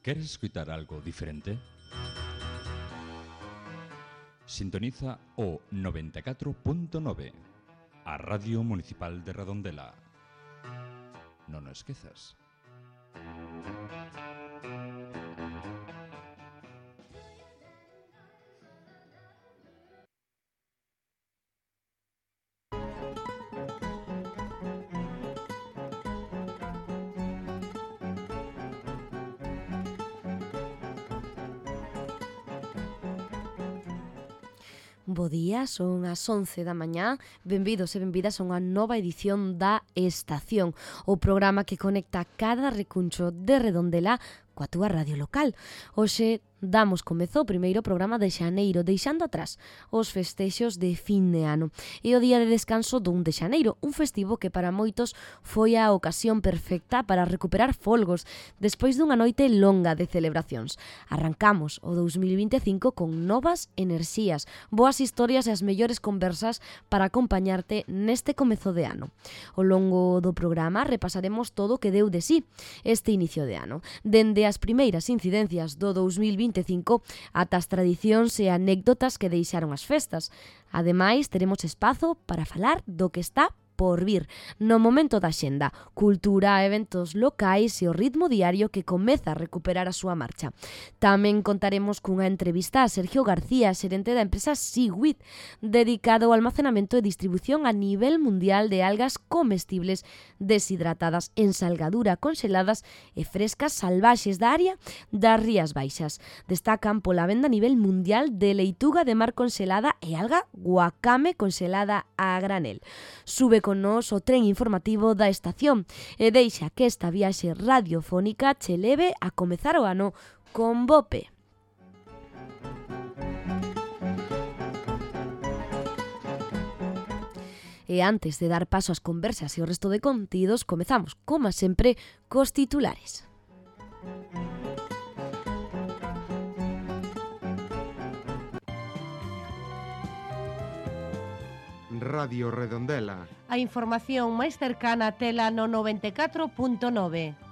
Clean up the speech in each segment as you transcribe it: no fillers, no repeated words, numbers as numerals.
¿Queres escutar algo diferente? Sintoniza o 94.9, a Radio Municipal de Redondela. Non o esquezas. Bo día, son as 11 da mañá. Benvidos e benvidas a unha nova edición da Estación, o programa que conecta cada recuncho de Redondela coa túa radio local. Hoxe damos comezo ao primeiro programa de xaneiro, deixando atrás os festexos de fin de ano. E o día de descanso do 1 de xaneiro, un festivo que para moitos foi a ocasión perfecta para recuperar folgos despois dunha noite longa de celebracións. Arrancamos o 2025 con novas enerxías, boas historias e as mellores conversas para acompañarte neste comezo de ano. Ao longo do programa repasaremos todo o que deu de sí este inicio de ano, dende as primeiras incidencias do 2025 ata as tradicións e anécdotas que deixaron as festas. Ademais, teremos espazo para falar do que está por vir no momento da xenda, cultura, eventos locais e o ritmo diario que comeza a recuperar a súa marcha. Tamén contaremos cunha entrevista a Sergio García, xerente da empresa Seaweed, dedicado ao almacenamento e distribución a nivel mundial de algas comestibles deshidratadas en salgadura, congeladas e frescas salvaxes da área das Rías Baixas. Destacan pola venda a nivel mundial de leituga de mar congelada e alga guacame congelada a granel. Sube con nos o tren informativo da estación e deixa que esta viaxe radiofónica che leve a comezar o ano con Bope. E antes de dar paso ás conversas e o resto de contidos, comezamos, como sempre, cos titulares. Radio Redondela. A información máis cercana a tela no 94.9.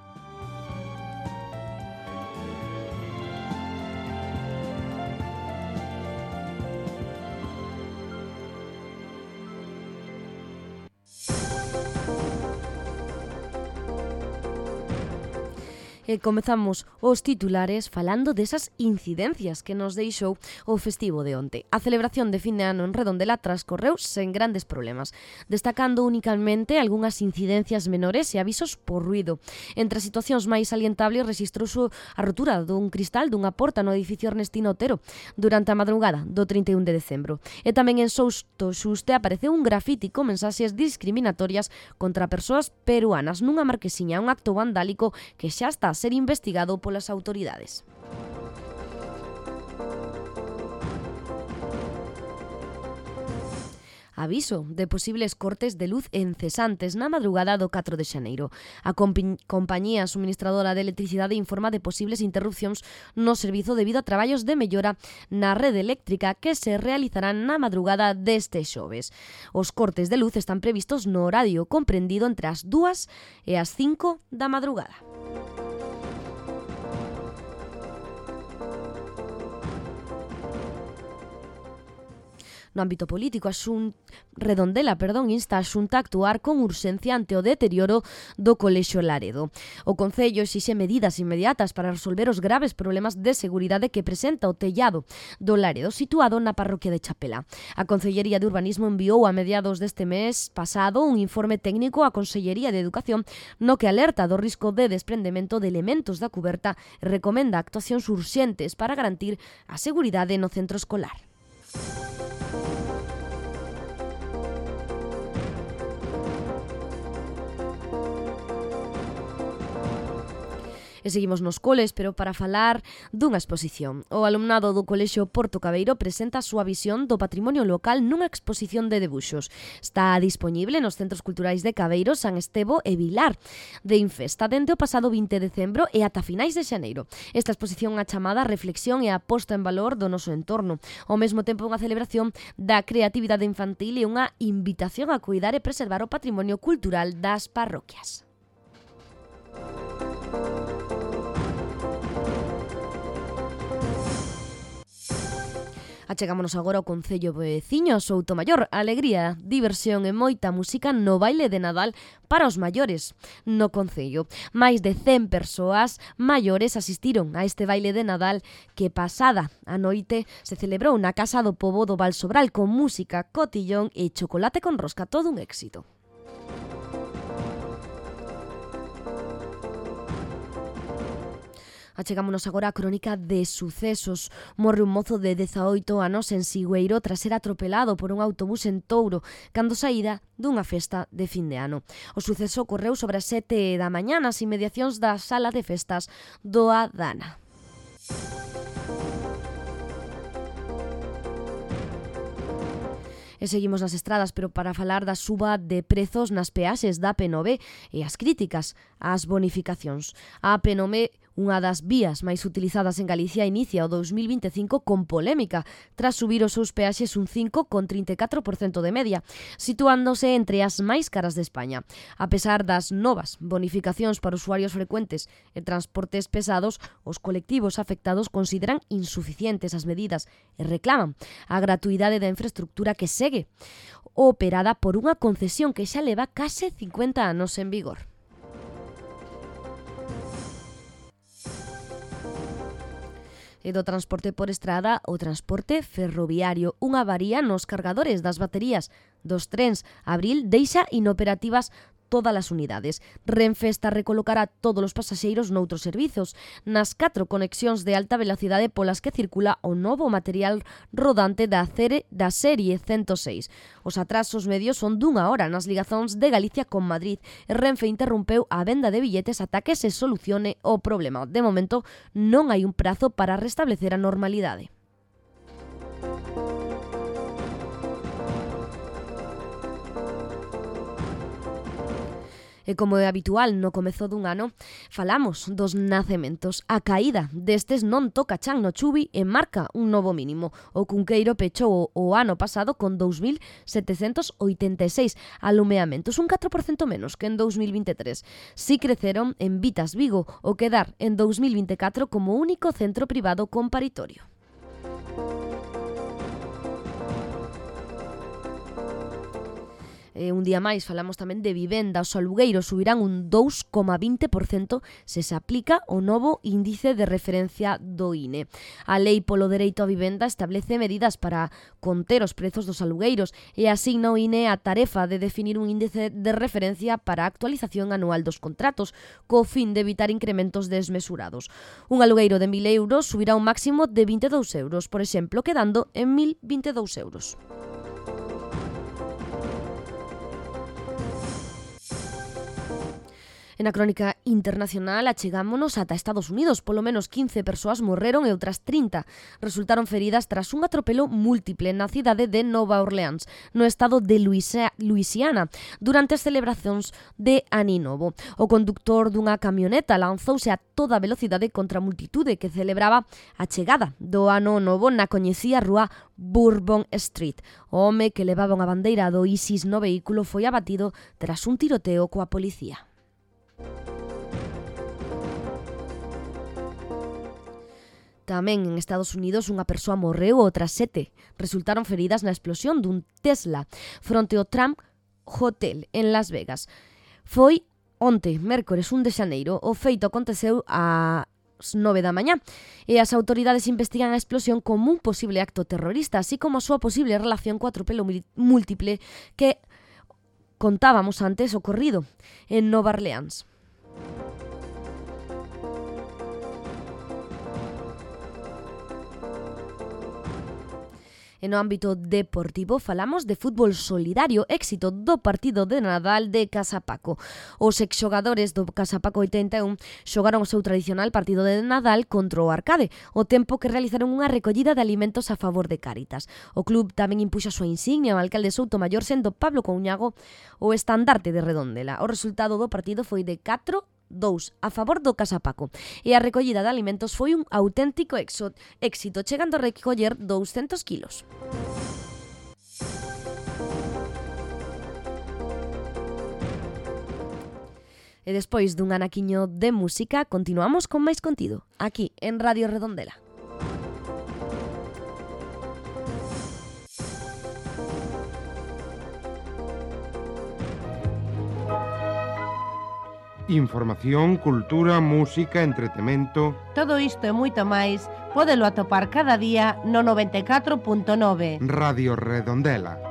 E comezamos os titulares falando desas incidencias que nos deixou o festivo de onte. A celebración de fin de ano en Redondela transcorreu sen grandes problemas, destacando únicamente algunhas incidencias menores e avisos por ruido. Entre as situacións máis salientables rexistrouse a rotura dun cristal dunha porta no edificio Ernestino Otero durante a madrugada do 31 de decembro. E tamén en Sousto Xuste apareceu un grafiti con mensaxes discriminatorias contra persoas peruanas nunha marquesiña, un acto vandálico que xa está a ser investigado polas autoridades. Aviso de posibles cortes de luz encesantes na madrugada do 4 de xaneiro. A compañía suministradora de electricidade informa de posibles interrupcións no servizo debido a traballos de mellora na rede eléctrica que se realizarán na madrugada deste xoves. Os cortes de luz están previstos no horario comprendido entre as 2 e as 5 da madrugada. No ámbito político, Redondela insta a Xunta a actuar con urxencia ante o deterioro do Colexio Laredo. O Concello exixe medidas inmediatas para resolver os graves problemas de seguridade que presenta o tellado do Laredo situado na parroquia de Chapela. A Concellería de Urbanismo enviou a mediados deste mes pasado un informe técnico á Consellería de Educación no que alerta do risco de desprendemento de elementos da cuberta e recomenda actuacións urxentes para garantir a seguridade no centro escolar. E seguimos nos coles, pero para falar dunha exposición. O alumnado do Colexio Porto Cabeiro presenta a súa visión do patrimonio local nunha exposición de debuxos. Está dispoñible nos centros culturais de Cabeiro, San Estevo e Vilar de Infesta dende o pasado 20 de decembro e ata finais de xaneiro. Esta exposición é chamada Reflexión e a posta en valor do noso entorno. Ao mesmo tempo unha celebración da creatividade infantil e unha invitación a cuidar e preservar o patrimonio cultural das parroquias. Achegámonos agora ao concello veciño Soutomaior. Alegría, diversión e moita música no baile de Nadal para os maiores. No concello, máis de 100 persoas maiores asistiron a este baile de Nadal que pasada a noite se celebrou na Casa do Pobo do Val Sobral con música, cotillón e chocolate con rosca. Todo un éxito. Achegámonos agora á crónica de sucesos. Morre un mozo de 18 anos en Sigüeiro tras ser atropelado por un autobús en Touro cando saíra dunha festa de fin de ano. O suceso ocorreu sobre as 7 da mañá nas inmediacións da sala de festas do Adana. E seguimos nas estradas, pero para falar da suba de prezos nas peaxes da P9 e as críticas ás bonificacións. A P9, unha das vías máis utilizadas en Galicia, inicia o 2025 con polémica, tras subir os seus peaxes un 5,34% de media, situándose entre as máis caras de España. A pesar das novas bonificacións para usuarios frecuentes e transportes pesados, os colectivos afectados consideran insuficientes as medidas e reclaman a gratuidade da infraestructura que segue operada por unha concesión que xa leva case 50 anos en vigor. E do transporte por estrada o transporte ferroviario. Unha avaría nos cargadores das baterías dos trens Abril deixa inoperativas todas as unidades. Renfe está a recolocar a todos os pasaxeiros noutros servizos, nas 4 conexións de alta velocidade polas que circula o novo material rodante da serie 106. Os atrasos medios son d'1 hora nas ligazóns de Galicia con Madrid e Renfe interrompeu a venda de billetes ata que se solucione o problema. De momento, non hai un prazo para restablecer a normalidade. E como é habitual no comezo dun ano, falamos dos nacementos. A caída destes non toca chan no Chubi e marca un novo mínimo. O Cunqueiro pechou o ano pasado con 2.786 alumeamentos, un 4% menos que en 2023. Si creceron en Vitas Vigo, o quedar en 2024 como único centro privado con paritorio. Un día máis falamos tamén de vivenda. Os alugueiros subirán un 2,20% se se aplica o novo índice de referencia do INE. A Lei polo Dereito á Vivenda establece medidas para conter os prezos dos alugueiros e asigna ao INE a tarefa de definir un índice de referencia para a actualización anual dos contratos, co fin de evitar incrementos desmesurados. Un alugueiro de 1.000 euros subirá un máximo de 22 euros, por exemplo, quedando en 1.022 euros. En a crónica internacional achegámonos ata Estados Unidos. Polo menos 15 persoas morreron e outras 30 resultaron feridas tras un atropelo múltiple na cidade de Nova Orleans, no estado de Luisiana, durante as celebracións de Ano Novo. O conductor dunha camioneta lanzouse a toda velocidade contra a multitude que celebraba a chegada do Ano Novo na coñecida rúa Bourbon Street. O home que levaba unha bandeira do ISIS no vehículo foi abatido tras un tiroteo coa policía. Tamén en Estados Unidos unha persoa morreu e outras 7 resultaron feridas na explosión dun Tesla fronte ao Trump Hotel en Las Vegas. Foi onte, mércores 1 de xaneiro. O feito aconteceu ás 9 da mañá e as autoridades investigan a explosión como un posible acto terrorista, así como a súa posible relación co atropelo múltiple que contábamos antes ocorrido en Nova Orleans. E no ámbito deportivo falamos de fútbol solidario, éxito do partido de Nadal de Casapaco. Os exxogadores do Casapaco 81 xogaron o seu tradicional partido de Nadal contra o Arcade, o tempo que realizaron unha recollida de alimentos a favor de Cáritas. O club tamén impuxo a súa insignia ao alcalde Soutomaior, sendo Pablo Couñago o estandarte de Redondela. O resultado do partido foi de 4-2 a favor do Casapaco e a recollida de alimentos foi un auténtico éxito, chegando a recoller 200 kilos. E despois dun anaquiño de música, continuamos con máis contido, aquí en Radio Redondela. Información, cultura, música, entretemento... Todo isto e moito máis pódelo atopar cada día no 94.9. Radio Redondela.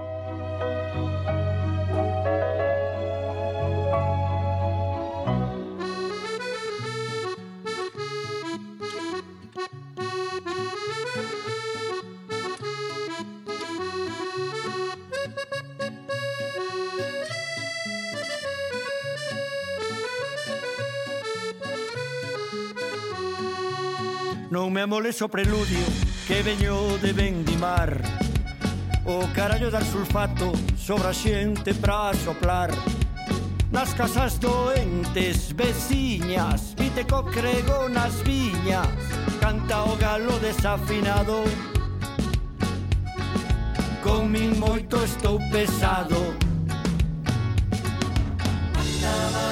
Non me amoles o preludio que veño de vendimar. O carallo dar sulfato sobre a xente pra soplar. Nas casas doentes, veciñas, vite co crego nas viñas. Canta o galo desafinado. Con min moito estou pesado. Andaba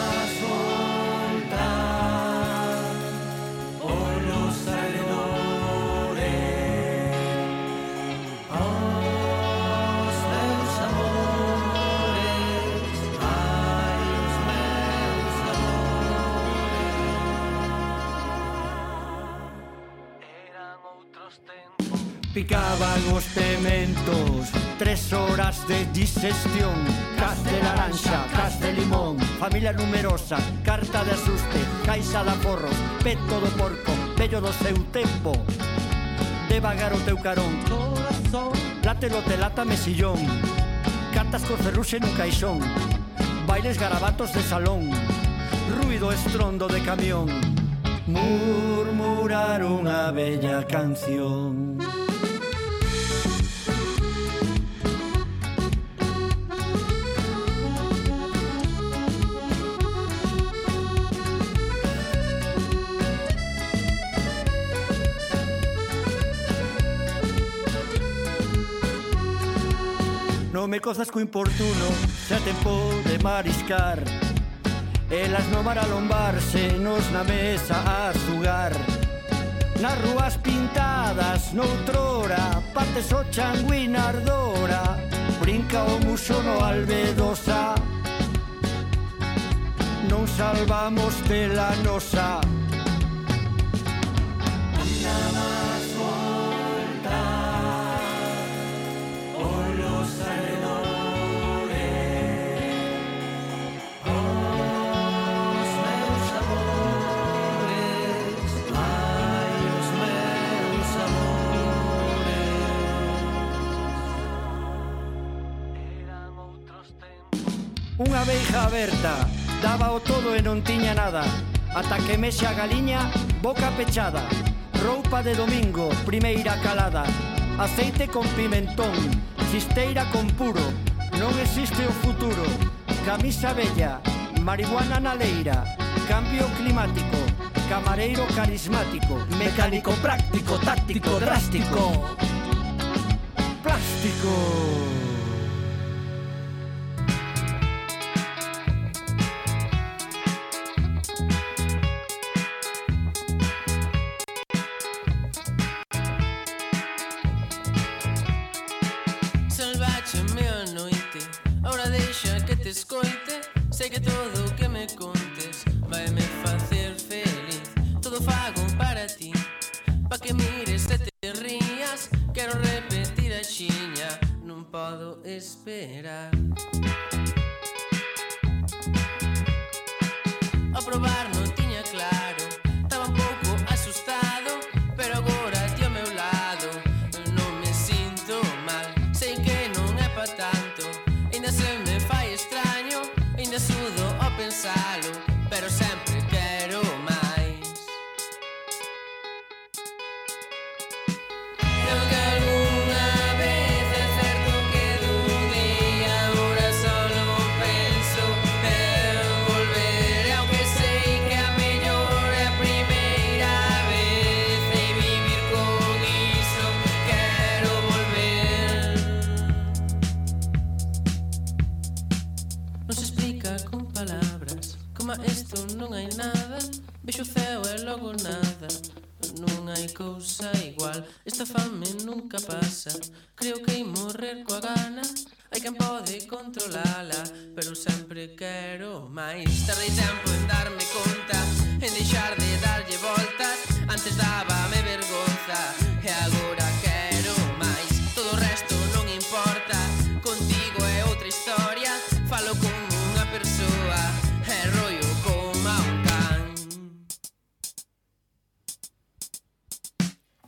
picaban os pementos, 3 horas de digestión. Cas de laranxa, cas de limón, familia numerosa, carta de asuste, caixa de aforros, peto do porco, vello do seu tempo. Devagar o teu carón, látelo te lata mesillón, cartas cor ferruxe nun caixón, bailes garabatos de salón, ruido estrondo de camión, murmurar unha bella canción. Non me cozas co importuno, se a tempo de mariscar. Elas no mar a lombarse, nos na mesa a xugar. Nas rúas pintadas, noutrora, partes o changuín ardora. Brinca o muso no albedosa. Non salvamos de la nosa. Unha veiga aberta, daba o todo e non tiña nada. Ata que mexe a galiña, boca pechada. Roupa de domingo, primeira calada. Aceite con pimentón, chisteira con puro. Non existe o futuro. Camisa bella, marihuana na leira. Cambio climático, camareiro carismático. Mecánico práctico, táctico, drástico. Plástico. Escoite, sei que todo o que me contes vai me facer feliz. Todo fago para ti, pa que mires e te rías. Quero repetir a xiña, non podo nisto non hai nada. Vexo o ceo e logo nada. Non hai cousa igual. Esta fame nunca pasa. Creo que hai morrer coa gana. Hai quen pode controlala, pero sempre quero máis. Tardei tempo en darme conta, en deixar de darlle voltas. Antes dábame vergonza e agora quero máis. Todo o resto non importa, contigo é outra historia. Falo como unha persoa e rollo como un can.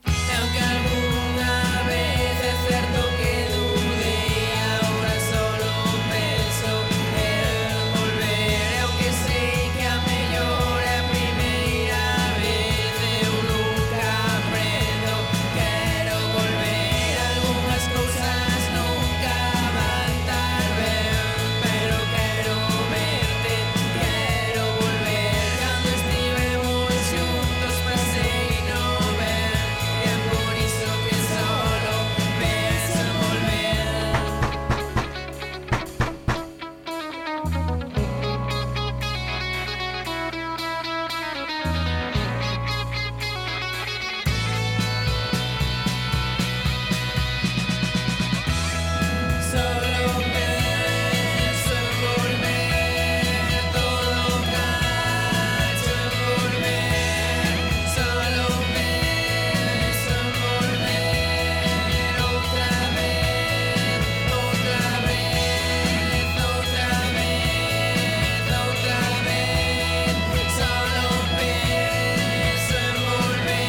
E aunque algunha vez é certo que dudei, agora solo penso en volver. E aunque sei que a mellor é a primeira vez, eu nunca aprendo. Quero volver, algunhas cousas nunca van tar ben, pero quero verte, quero volver. Cando estivemos xuntos pasei no ver, e é por iso que solo penso en volver. Solo penso en volver, todo cacho en volver. Solo penso en volver outra vez, outra vez, outra vez, outra vez. Solo penso en volver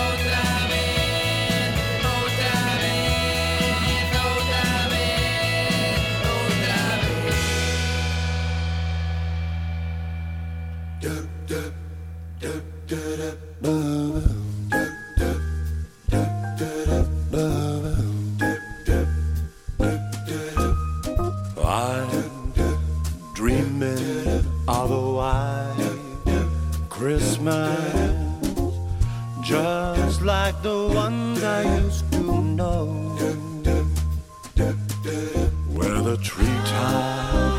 outra vez, outra vez, outra vez, outra vez. I'm dreaming of a white Christmas, just like the ones I used to know, where the treetops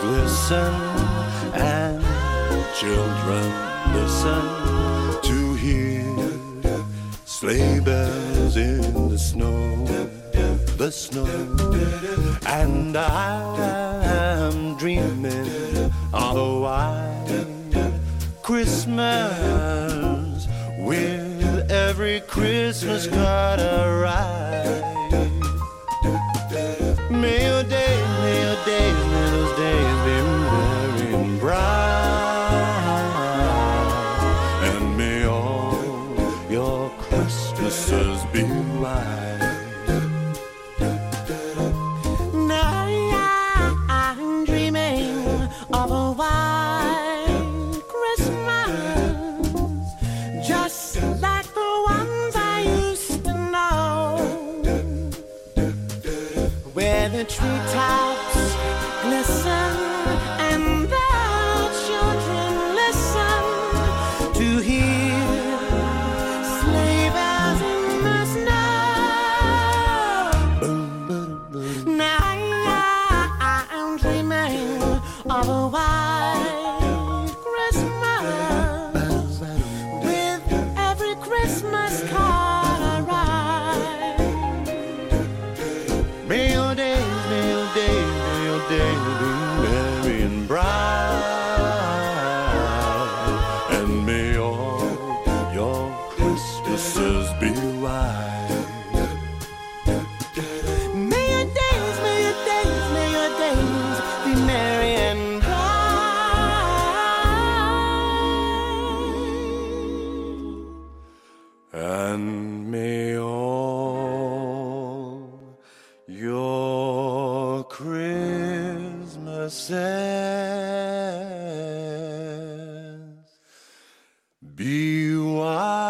glisten and children listen to hear sleigh bells in the snow, the snow. And I'm dreaming of a white Christmas, with every Christmas card I write. May your days, may your days, may those days be merry and bright, and may all your Christmases be white. Now I'm dreaming of a white Christmas, just like the ones I used to know, where the treetops glisten and the children listen to hear sleigh bells in the snow. Now I'm dreaming of a white Christmas, with every Christmas card I write. May your days, may your days, may your days be merry and bright, and may all your Christmases be white. May your days, may your days, may your days be merry and bright. And may all your Christmases be white.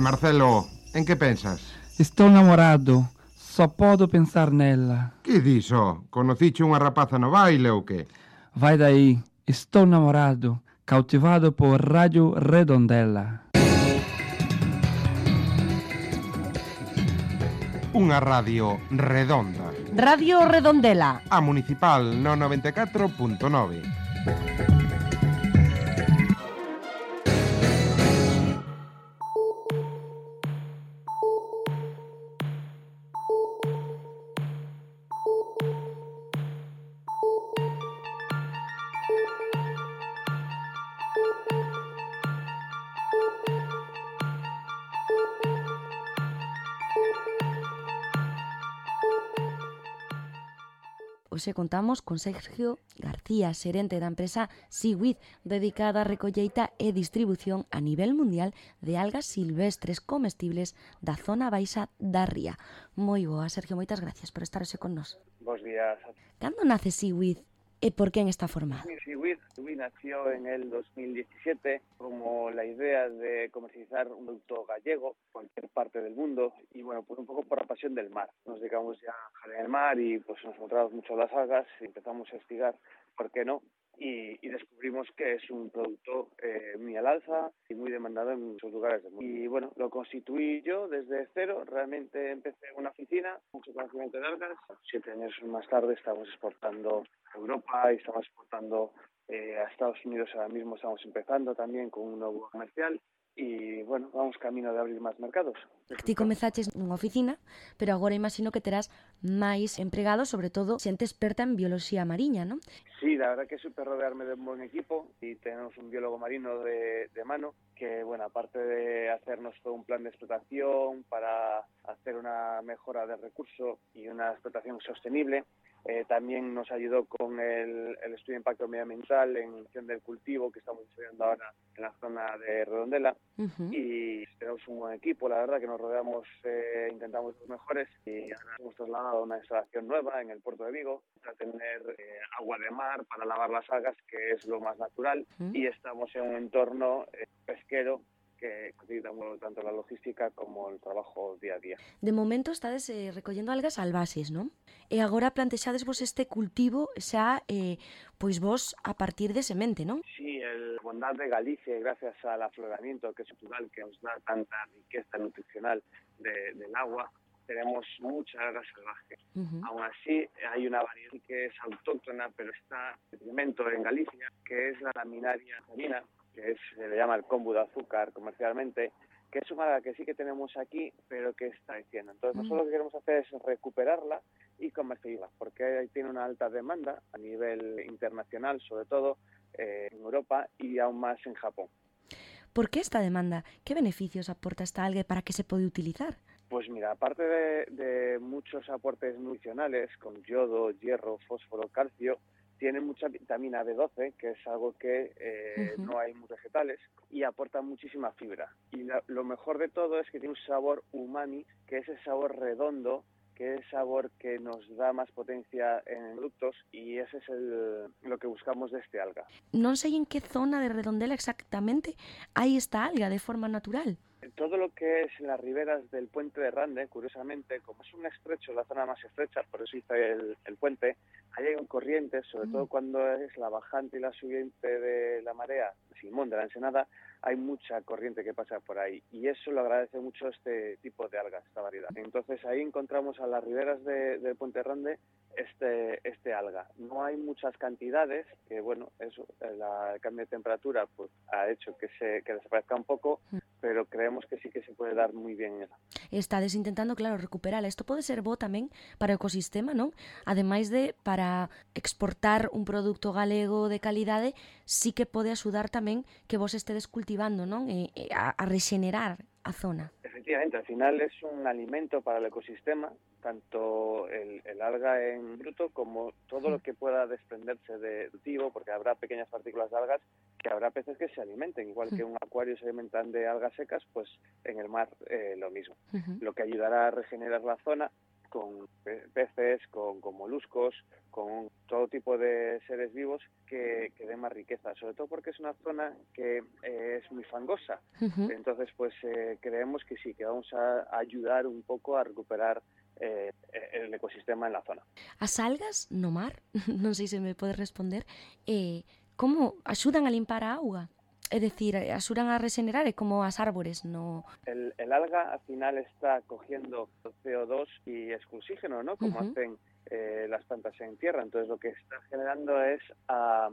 Marcelo, en que pensas? Estou namorado. Só podo pensar nela. Que diso? Conociche unha rapaza no baile ou que? Vai daí. Estou namorado. Cautivado por Radio Redondela. Unha radio redonda. Radio Redondela. A municipal no 94.9. Hoxe contamos con Sergio García, xerente da empresa Seaweed, dedicada á recolleita e distribución a nivel mundial de algas silvestres comestibles da zona baixa da ría. Moi boa, Sergio, moitas gracias por estar hoxe con nós. Bos días. Cando nace Seaweed e por quen está formado? Seaweed nació en el 2017 como la idea de comercializar un producto gallego en cualquier parte del mundo y bueno, pues un poco por la pasión del mar. Nos dedicamos ya a jalar en el mar y pues nos encontramos mucho las algas y empezamos a investigar, ¿por qué no? Y descubrimos que es un producto muy al alza y muy demandado en muchos lugares del mundo. Y bueno, lo constituí yo desde cero, realmente empecé en una oficina, mucho conocimiento de algas. 7 años más tarde estamos exportando a Europa y estamos exportando a Estados Unidos. Ahora mismo estamos empezando también con un nuevo comercial y bueno, vamos camino de abrir máis mercados. Ti comezaches nunha oficina, pero agora imagino que terás máis empregados, sobre todo xente experta en bioloxía mariña, non? Sí, la verdad que es súper rodearme de un buen equipo y tenemos un biólogo marino de mano que, bueno, aparte de hacernos todo un plan de explotación para hacer una mejora del recurso y una explotación sostenible, también nos ayudó con el estudio de impacto medioambiental en función del cultivo que estamos desarrollando ahora en la zona de Redondela. Y tenemos un buen equipo, la verdad que nos rodeamos, intentamos los mejores y ahora hemos trasladado a una instalación nueva en el puerto de Vigo para tener agua de mar para lavar las algas, que es lo más natural, y estamos en un entorno pesquero que facilitamos tanto la logística como el trabajo día a día. De momento estades recollendo algas salvaxes, non? E agora plantexades vos este cultivo xa, pois vos a partir de semente, non? Sí, el bondad de Galicia, gracias al afloramiento que es natural, que nos da tanta riqueza nutricional del agua, tenemos mucha alga salvaje. Aún así, hay una variedad que es autóctona, pero está en detrimento en Galicia, que es la laminaria marina, que se le llama el kombu de azúcar comercialmente, que es una alga que sí que tenemos aquí, pero que está diciendo. Entonces, nosotros lo que queremos hacer es recuperarla y comercializarla, porque tiene una alta demanda a nivel internacional, sobre todo en Europa y aún más en Japón. ¿Por qué esta demanda? ¿Qué beneficios aporta esta alga y para qué se puede utilizar? Pues mira, aparte de muchos aportes nutricionales, con yodo, hierro, fósforo, calcio, tiene mucha vitamina B12, que es algo que no hay en muchos vegetales, y aporta muchísima fibra. Y lo mejor de todo es que tiene un sabor umami, que es el sabor redondo, que es el sabor que nos da más potencia en productos, y ese es lo que buscamos de este alga. Non sei en que zona de Redondela exactamente hai esta alga de forma natural. Todo lo que es en las riberas del puente de Rande, curiosamente, como es un estrecho, la zona más estrecha, por eso hice el puente, ahí hay un corriente, sobre todo cuando es la bajante y la subiente de la marea, Simón de la Ensenada, hay mucha corriente que pasa por ahí y eso lo agradece mucho este tipo de algas, esta variedad. Entonces ahí encontramos a las riberas del puente de Rande este alga. No hay muchas cantidades, que bueno, eso, el cambio de temperatura pues ha hecho que desaparezca un poco, pero creemos que sí que se puede dar muy bien esa. Estades intentando, claro, recuperala. Isto pode ser bo tamén para o ecosistema, non? Ademais de para exportar un produto galego de calidade, sí que pode axudar tamén que vos estedes cultivando, non? A rexenerar a zona. Efectivamente, al final es un alimento para el ecosistema, tanto el alga en bruto como todo lo que pueda desprenderse de cultivo, porque habrá pequeñas partículas de algas que habrá peces que se alimenten, igual que un acuario se alimentan de algas secas, pues en el mar lo mismo. Lo que ayudará a regenerar la zona con peces, con moluscos, con todo tipo de seres vivos que den más riqueza, sobre todo porque es una zona que es muy fangosa. Entonces, pues creemos que sí, que vamos a ayudar un pouco a recuperar el ecosistema en la zona. As algas no mar, non sei se me podes responder, como axudan a limpar a auga? É dicir, axudan a regenerar, é como as árbores, no... El alga al final está cogiendo CO2 y es oxígeno, ¿no? Como hacen las plantas en tierra. Entonces lo que está generando es a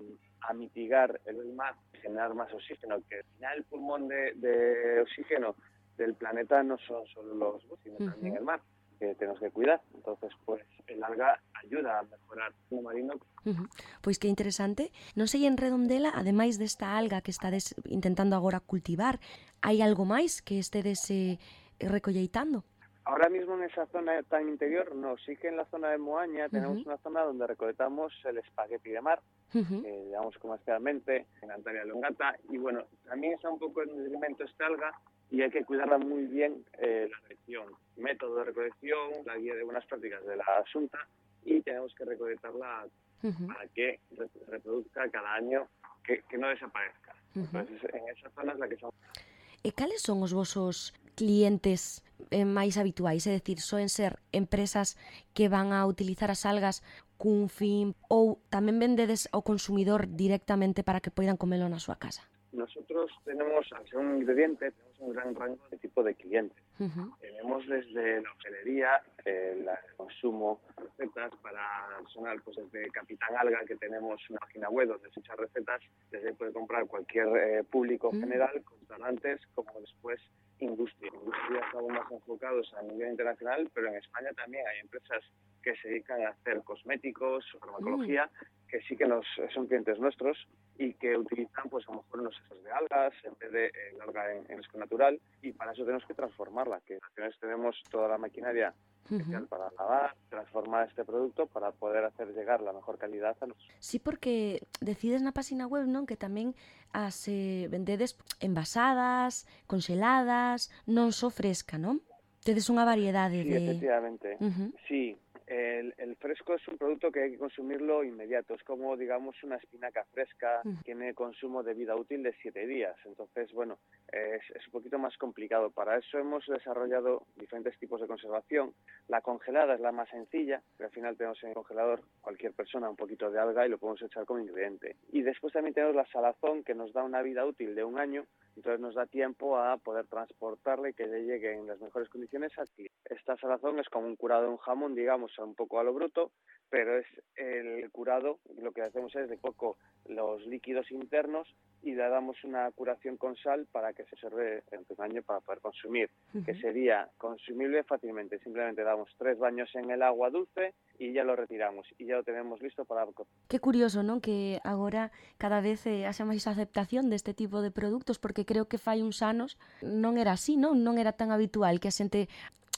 mitigar el mar, generar más oxígeno, que al final el pulmón de oxígeno del planeta no son solo los bosques, sino también el mar, que tenemos que cuidar. Entonces, pues el alga ayuda a mejorar o marino. Pois que interesante. Non sei en Redondela, ademais desta alga que estades intentando agora cultivar, hai algo máis que estedes recolleitando? Ahora mismo en esa zona tan interior, no, sí que en la zona de Moaña tenemos una zona donde recolectamos el espagueti de mar, digamos comercialmente, en Antaria Longata, y bueno, también está un poco en detrimento esta alga y hay que cuidarla muy bien la recolección, método de recolección, la guía de buenas prácticas de la Asunta, y tenemos que recolectarla para que reproduzca cada año, que no desaparezca. Entonces, en esa zona es la que son. E cales son os vosos clientes máis habituais? É dicir, soen ser empresas que van a utilizar as algas cun fin ou tamén vendedes ao consumidor directamente para que poidan comelo na súa casa? Nosotros tenemos, al ser un ingrediente, tenemos un gran rango de tipo de clientes. Tenemos desde la hostelería, el consumo, recetas para personal, pues desde Capitán Alga, que tenemos una página web donde se echan recetas, desde ahí puede comprar cualquier público general, restaurantes, como después industria. Industria estamos más enfocados a nivel internacional, pero en España también hay empresas que se dedican a hacer cosméticos, farmacología, que sí que son clientes nuestros y que utilizan pues a lo mejor unos extras de algas en vez de el alga en fresco natural, y para eso tenemos que transformarla, que en ocasiones tenemos toda la maquinaria especial para lavar, transformar este producto para poder hacer llegar la mejor calidad a nosotros. Sí, porque decides na página web, non, que tamén as vendedes envasadas, conxeladas, non só fresca, non? Tedes unha variedade Sí, de... efectivamente. Sí, el fresco es un producto que hay que consumirlo inmediato. Es como, digamos, una espinaca fresca. Tiene consumo de vida útil de 7 días. Entonces, bueno, es un poquito más complicado. Para eso hemos desarrollado diferentes tipos de conservación. La congelada es la más sencilla, pero al final tenemos en el congelador cualquier persona un poquito de alga y lo podemos echar como ingrediente. Y después también tenemos la salazón, que nos da una vida útil de 1 año. Entonces nos da tiempo a poder transportarle y que le llegue en las mejores condiciones al cliente. Esta salazón es como un curado de un jamón, digamos, un poco a lo bruto, pero es el curado, lo que hacemos es de poco los líquidos internos y le damos una curación con sal para que se conserve en un año para poder consumir, que sería consumible fácilmente. Simplemente damos 3 baños en el agua dulce y ya lo retiramos y ya lo tenemos listo para... Que curioso, non? Que agora cada vez haxa máis aceptación deste tipo de produtos, porque creo que fai uns anos non era así, non? Non era tan habitual que a xente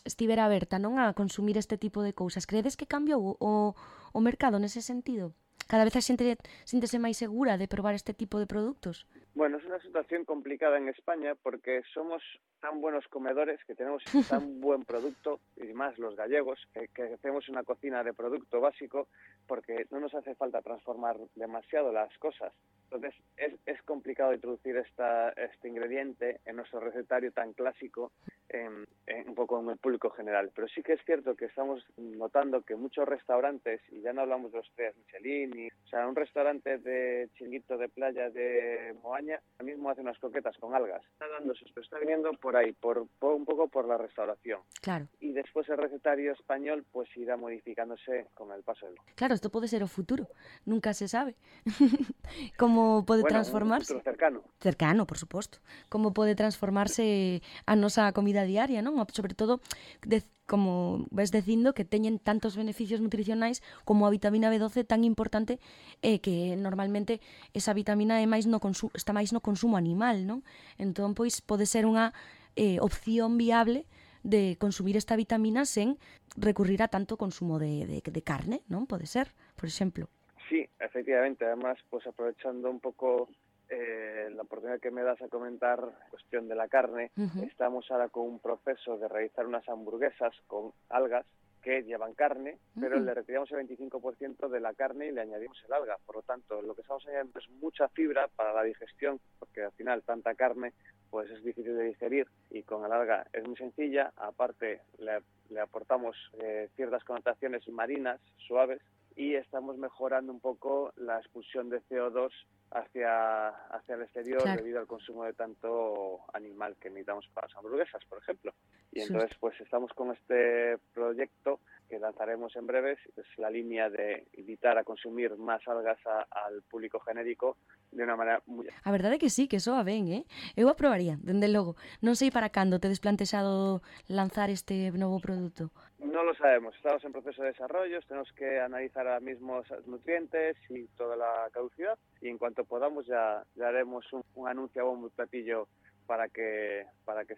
estivera aberta, non, a consumir este tipo de cousas. Credes que cambiou o mercado nese sentido? Cada vez a xente síntese máis segura de probar este tipo de produtos? Bueno, es una situación complicada en España porque somos tan buenos comedores, que tenemos tan buen producto, y más los gallegos, que hacemos una cocina de producto básico porque no nos hace falta transformar demasiado las cosas. Entonces es complicado introducir este ingrediente en nuestro recetario tan clásico un poco en el público general. Pero sí que es cierto que estamos notando que muchos restaurantes, y ya no hablamos de los 3 Michelin, o sea, un restaurante de chiringuito de playa de Moaña, ahora mismo hace unas croquetas con algas. Está dándose, pero está viniendo por ahí, por un poco por la restauración. Claro. Y después el recetario español pues irá modificándose con el paso del... Claro, isto pode ser o futuro, nunca se sabe. Como pode transformarse... Un futuro cercano. Cercano, por suposto. Como pode transformarse a nosa comida diaria, non? Sobre todo, como ves dicindo, que teñen tantos beneficios nutricionais como a vitamina B12 tan importante, que normalmente esa vitamina é máis está máis no consumo animal, non? Entón, pois, pode ser unha opción viable de consumir esta vitamina sen recurrir a tanto consumo de carne, non? Pode ser, por exemplo. Sí, efectivamente. Además, pues aprovechando un poco la oportunidad que me das a comentar cuestión de la carne, estamos ahora con un proceso de realizar unas hamburguesas con algas que llevan carne, pero le retiramos el 25% de la carne y le añadimos el alga. Por lo tanto, lo que estamos añadiendo es mucha fibra para la digestión, porque al final tanta carne pues es difícil de digerir, y con el alga es muy sencilla. Aparte, le aportamos ciertas connotaciones marinas, suaves, y estamos mejorando un poco la expulsión de CO2 hacia el exterior, claro, debido al consumo de tanto animal que necesitamos para las hamburguesas, por ejemplo. Y entonces pues estamos con este proyecto que lanzaremos en breves, es la línea de invitar a consumir más algas al público genérico de unha maneira moi... A verdade é que sí, que soa ben, Eu aprobaría, dende logo. Non sei para cando tedes plantexado lanzar este novo produto. No lo sabemos, estamos en proceso de desarrollo, tenemos que analizar ahora mismo los nutrientes y toda la caducidad, y en cuanto podamos ya haremos un anuncio a bombo y platillo para que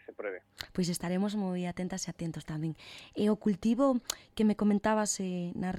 se pruebe. Pois estaremos moi atentas e atentos tamén. E o cultivo que me comentabas na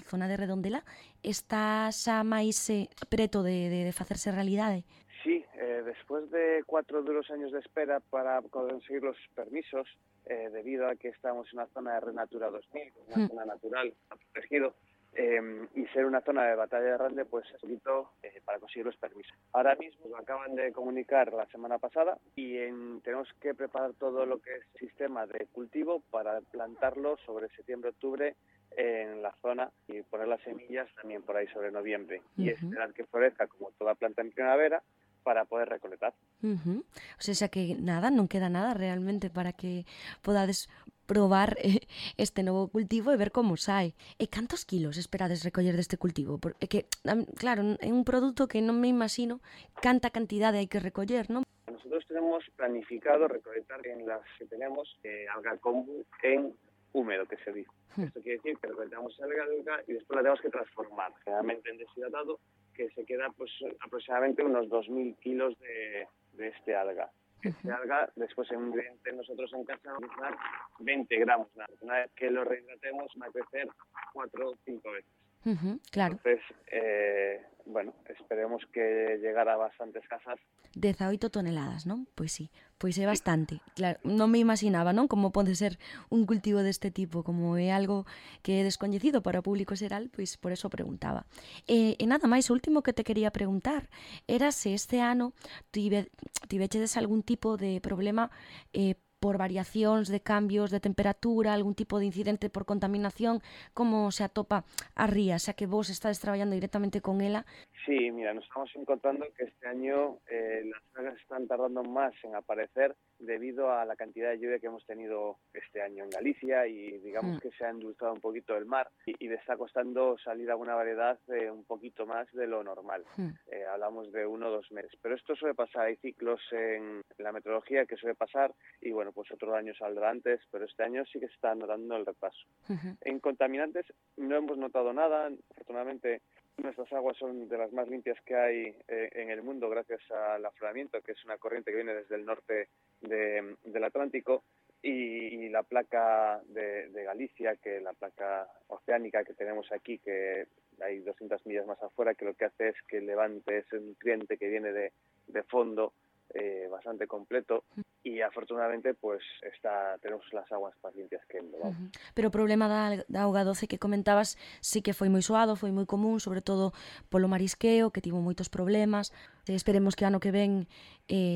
zona de Redondela está xa máis preto de facerse realidade? Sí, después de 4 duros años de espera para conseguir los permisos, debido a que estamos en una zona de Renatura 2000, una zona natural, protegido, y ser una zona de batalla grande, pues es poquito para conseguir los permisos. Ahora mismo lo acaban de comunicar la semana pasada y tenemos que preparar todo lo que es sistema de cultivo para plantarlo sobre septiembre-octubre en la zona y poner las semillas también por ahí sobre noviembre. Y esperar que florezca como toda planta en primavera para poder recolectar. O sea que nada, non queda nada realmente para que podades probar este novo cultivo e ver como sae. E cantos kilos esperades recoller deste cultivo? Porque, que, claro, é un produto que non me imagino canta cantidade hai que recoller, non? Nosotros tenemos planificado recolectar en las que tenemos alga kombu en húmedo, que se dice. Esto quiere decir que recolectamos alga y después la tenemos que transformar, generalmente en deshidratado, que se queda pues aproximadamente unos 2.000 kilos de este alga. Este alga, después en un ingrediente nosotros en casa vamos a dar 20 gramos. Una vez que lo rehidratemos va a crecer 4 o 5 veces. Claro. Entonces, bueno, esperemos que llegara a bastantes casas. 18 toneladas, non? Pois sí, pois é bastante. Claro, non me imaginaba, non? Como pode ser un cultivo deste tipo, como é algo que é descoñecido para o público xeral, pois por eso preguntaba. E nada máis, o último que te quería preguntar era se este ano tivechedes algún tipo de problema por variacións de cambios de temperatura, algún tipo de incidente por contaminación, como se atopa a ría, xa que vos estades traballando directamente con ela? Sí, mira, nos estamos encontrando que este año las algas están tardando más en aparecer debido a la cantidad de lluvia que hemos tenido este año en Galicia y digamos que se ha endulzado un poquito el mar y le está costando salir alguna variedad un poquito más de lo normal. Hablamos de 1 o 2 meses, pero esto suele pasar, hay ciclos en la meteorología que suele pasar y bueno, pues otro año saldrá antes, pero este año sí que se está notando el retraso. En contaminantes no hemos notado nada, afortunadamente nuestras aguas son de las más limpias que hay en el mundo gracias al afloramiento, que es una corriente que viene desde el norte del Atlántico, y la placa de Galicia, que es la placa oceánica que tenemos aquí, que hay 200 millas más afuera, que lo que hace es que levante ese nutriente que viene de fondo bastante completo, y afortunadamente pues tenemos las aguas más limpias que el Lobao. Pero o problema da auga doce que comentabas sí que foi moi soado, foi moi común, sobre todo polo marisqueo, que tivo moitos problemas. Esperemos que ano que ven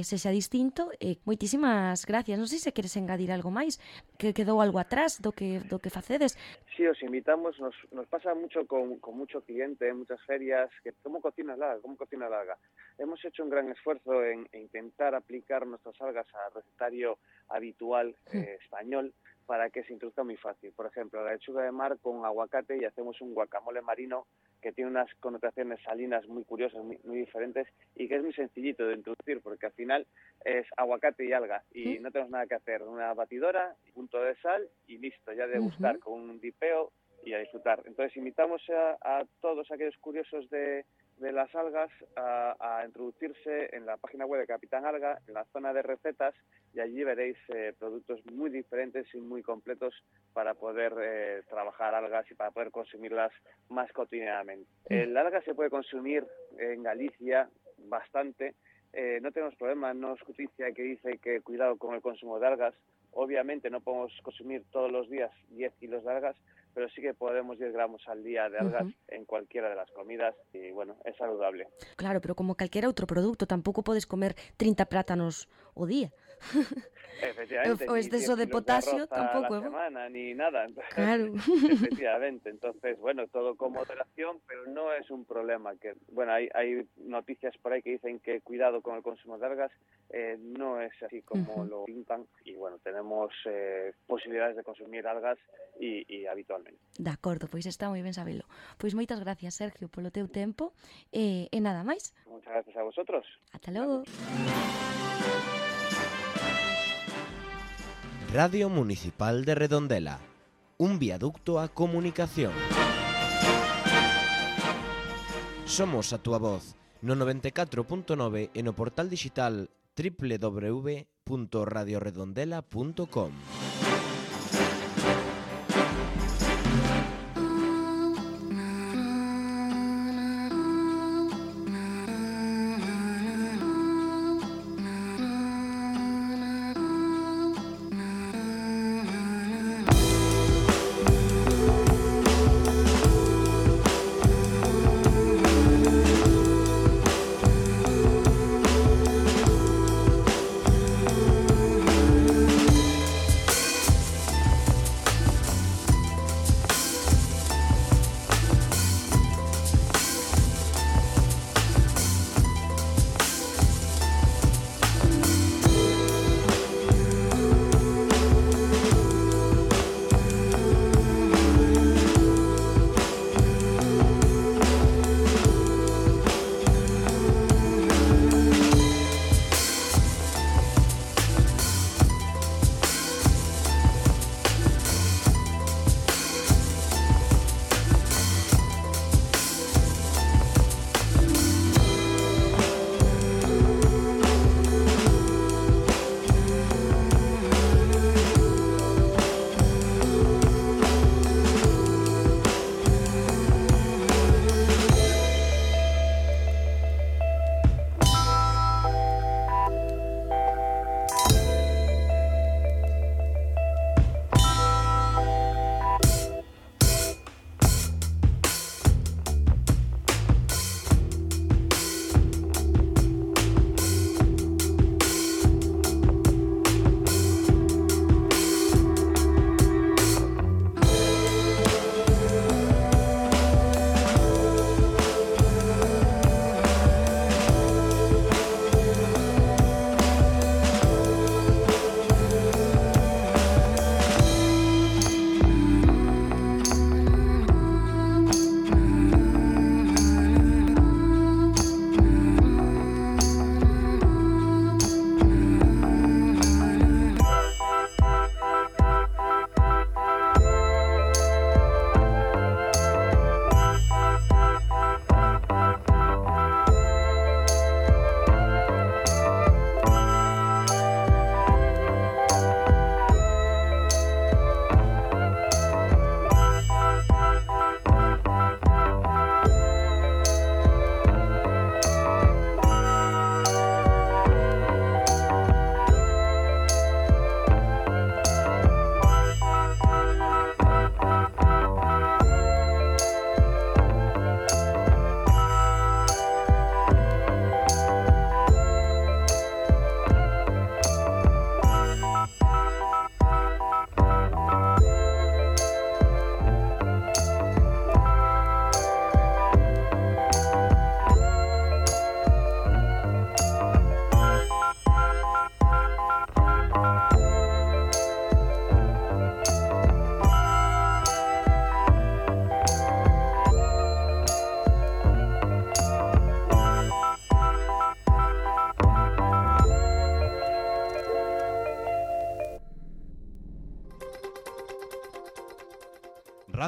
sexa distinto. Moitísimas gracias. Non sei se queres engadir algo máis, que quedou algo atrás do que facedes. Sí, os invitamos, nos pasa mucho con mucho cliente en muchas ferias, que ¿cómo cocina el alga? Hemos hecho un gran esfuerzo en intentar aplicar nuestras algas al recetario habitual español para que se introduzca muy fácil. Por ejemplo, la lechuga de mar con aguacate y hacemos un guacamole marino que tiene unas connotaciones salinas muy curiosas, muy diferentes, y que es muy sencillito de introducir porque al final es aguacate y alga y no tenemos nada que hacer. Una batidora, un punto de sal y listo, ya degustar con un dipeo y a disfrutar. Entonces invitamos a todos aquellos curiosos de las algas a introducirse en la página web de Capitán Alga, en la zona de recetas, y allí veréis productos muy diferentes y muy completos para poder trabajar algas y para poder consumirlas más cotidianamente. El alga se puede consumir en Galicia bastante, no tenemos problema, no es justicia que dice que cuidado con el consumo de algas. Obviamente no podemos consumir todos los días 10 kilos de algas, pero sí que podemos 10 gramos al día de algas en cualquiera de las comidas y, bueno, es saludable. Claro, pero como calquera outro produto, tampouco podes comer 30 plátanos o día. Efectivamente, O exceso de potasio tampouco é bo. semana, ni nada. Entonces, Claro. Efectivamente, entonces, bueno, todo con moderación, pero no es un problema. Que, bueno, hay noticias por ahí que dicen que cuidado con el consumo de algas, no es así como lo pintan y, bueno, tenemos posibilidades de consumir algas y habitualmente. De acordo, pois está moi ben sabelo. Pois moitas gracias, Sergio, polo teu tempo e nada máis. Muchas gracias a vosotros. Ata logo. Radio Municipal de Redondela, un viaducto a comunicación. Somos a túa voz no 94.9 e no portal digital www.radioredondela.com.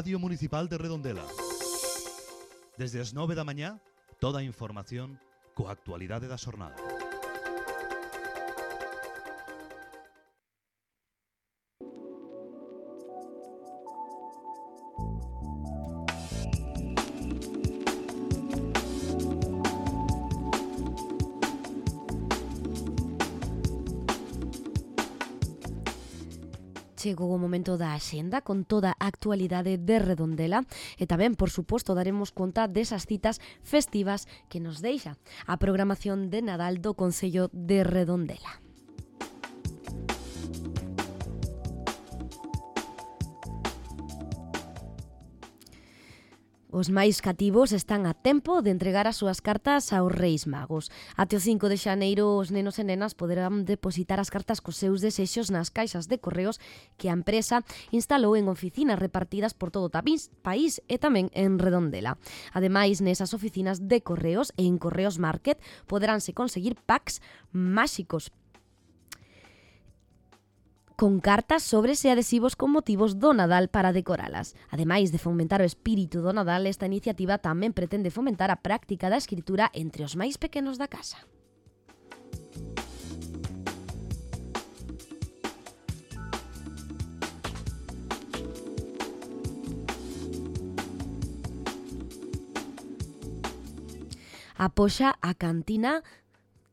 Radio Municipal de Redondela. Desde as 9 da mañá, toda a información coa actualidade da xornada. chegou o momento da axenda con toda a actualidade de Redondela e tamén, por suposto, daremos conta desas citas festivas que nos deixa a programación de Nadal do Concello de Redondela. Os máis cativos están a tempo de entregar as súas cartas aos Reis Magos. Até o 5 de xaneiro os nenos e nenas poderán depositar as cartas cos seus desexos nas caixas de correos que a empresa instalou en oficinas repartidas por todo o país e tamén en Redondela. Ademais, nesas oficinas de correos e en Correos Market poderánse conseguir packs máxicos con cartas, sobres e adhesivos con motivos do Nadal para decoralas. Ademais de fomentar o espírito do Nadal, esta iniciativa tamén pretende fomentar a práctica da escritura entre os máis pequenos da casa. Apoxa a cantina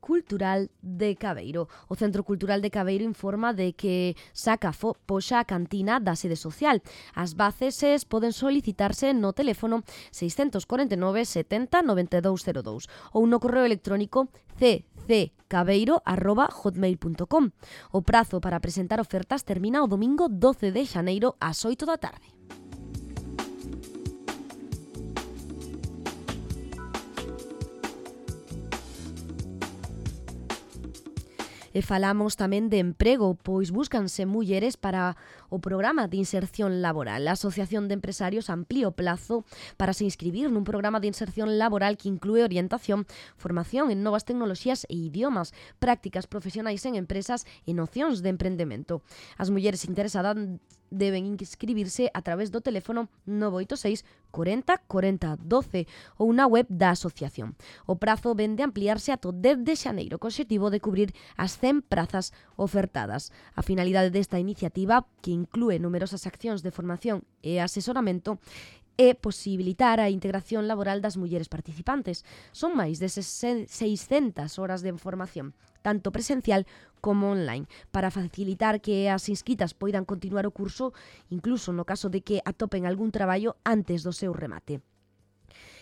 Cultural de Cabeiro. O Centro Cultural de Cabeiro informa de que saca poxa a cantina da sede social. As bases poden solicitarse no teléfono 649 70 9202 ou no correo electrónico cccabeiro@hotmail.com. O prazo para presentar ofertas termina o domingo 12 de xaneiro ás 8 da tarde. E falamos tamén de emprego, pois búscanse mulleres para o programa de inserción laboral. A Asociación de Empresarios amplía o plazo para se inscribir nun programa de inserción laboral que inclúe orientación, formación en novas tecnoloxías e idiomas, prácticas profesionais en empresas e nocións de emprendemento. As mulleres interesadas deben inscribirse a través do teléfono 986 40 40 12 ou na web da asociación. O prazo vén de ampliarse ata o 10 de xaneiro, co obxectivo de cubrir as 100 prazas ofertadas. A finalidade desta iniciativa, que inclúe numerosas accións de formación e asesoramento, é posibilitar a integración laboral das mulleres participantes. Son máis de 600 horas de formación, tanto presencial como online, para facilitar que as inscritas poidan continuar o curso, incluso no caso de que atopen algún traballo antes do seu remate.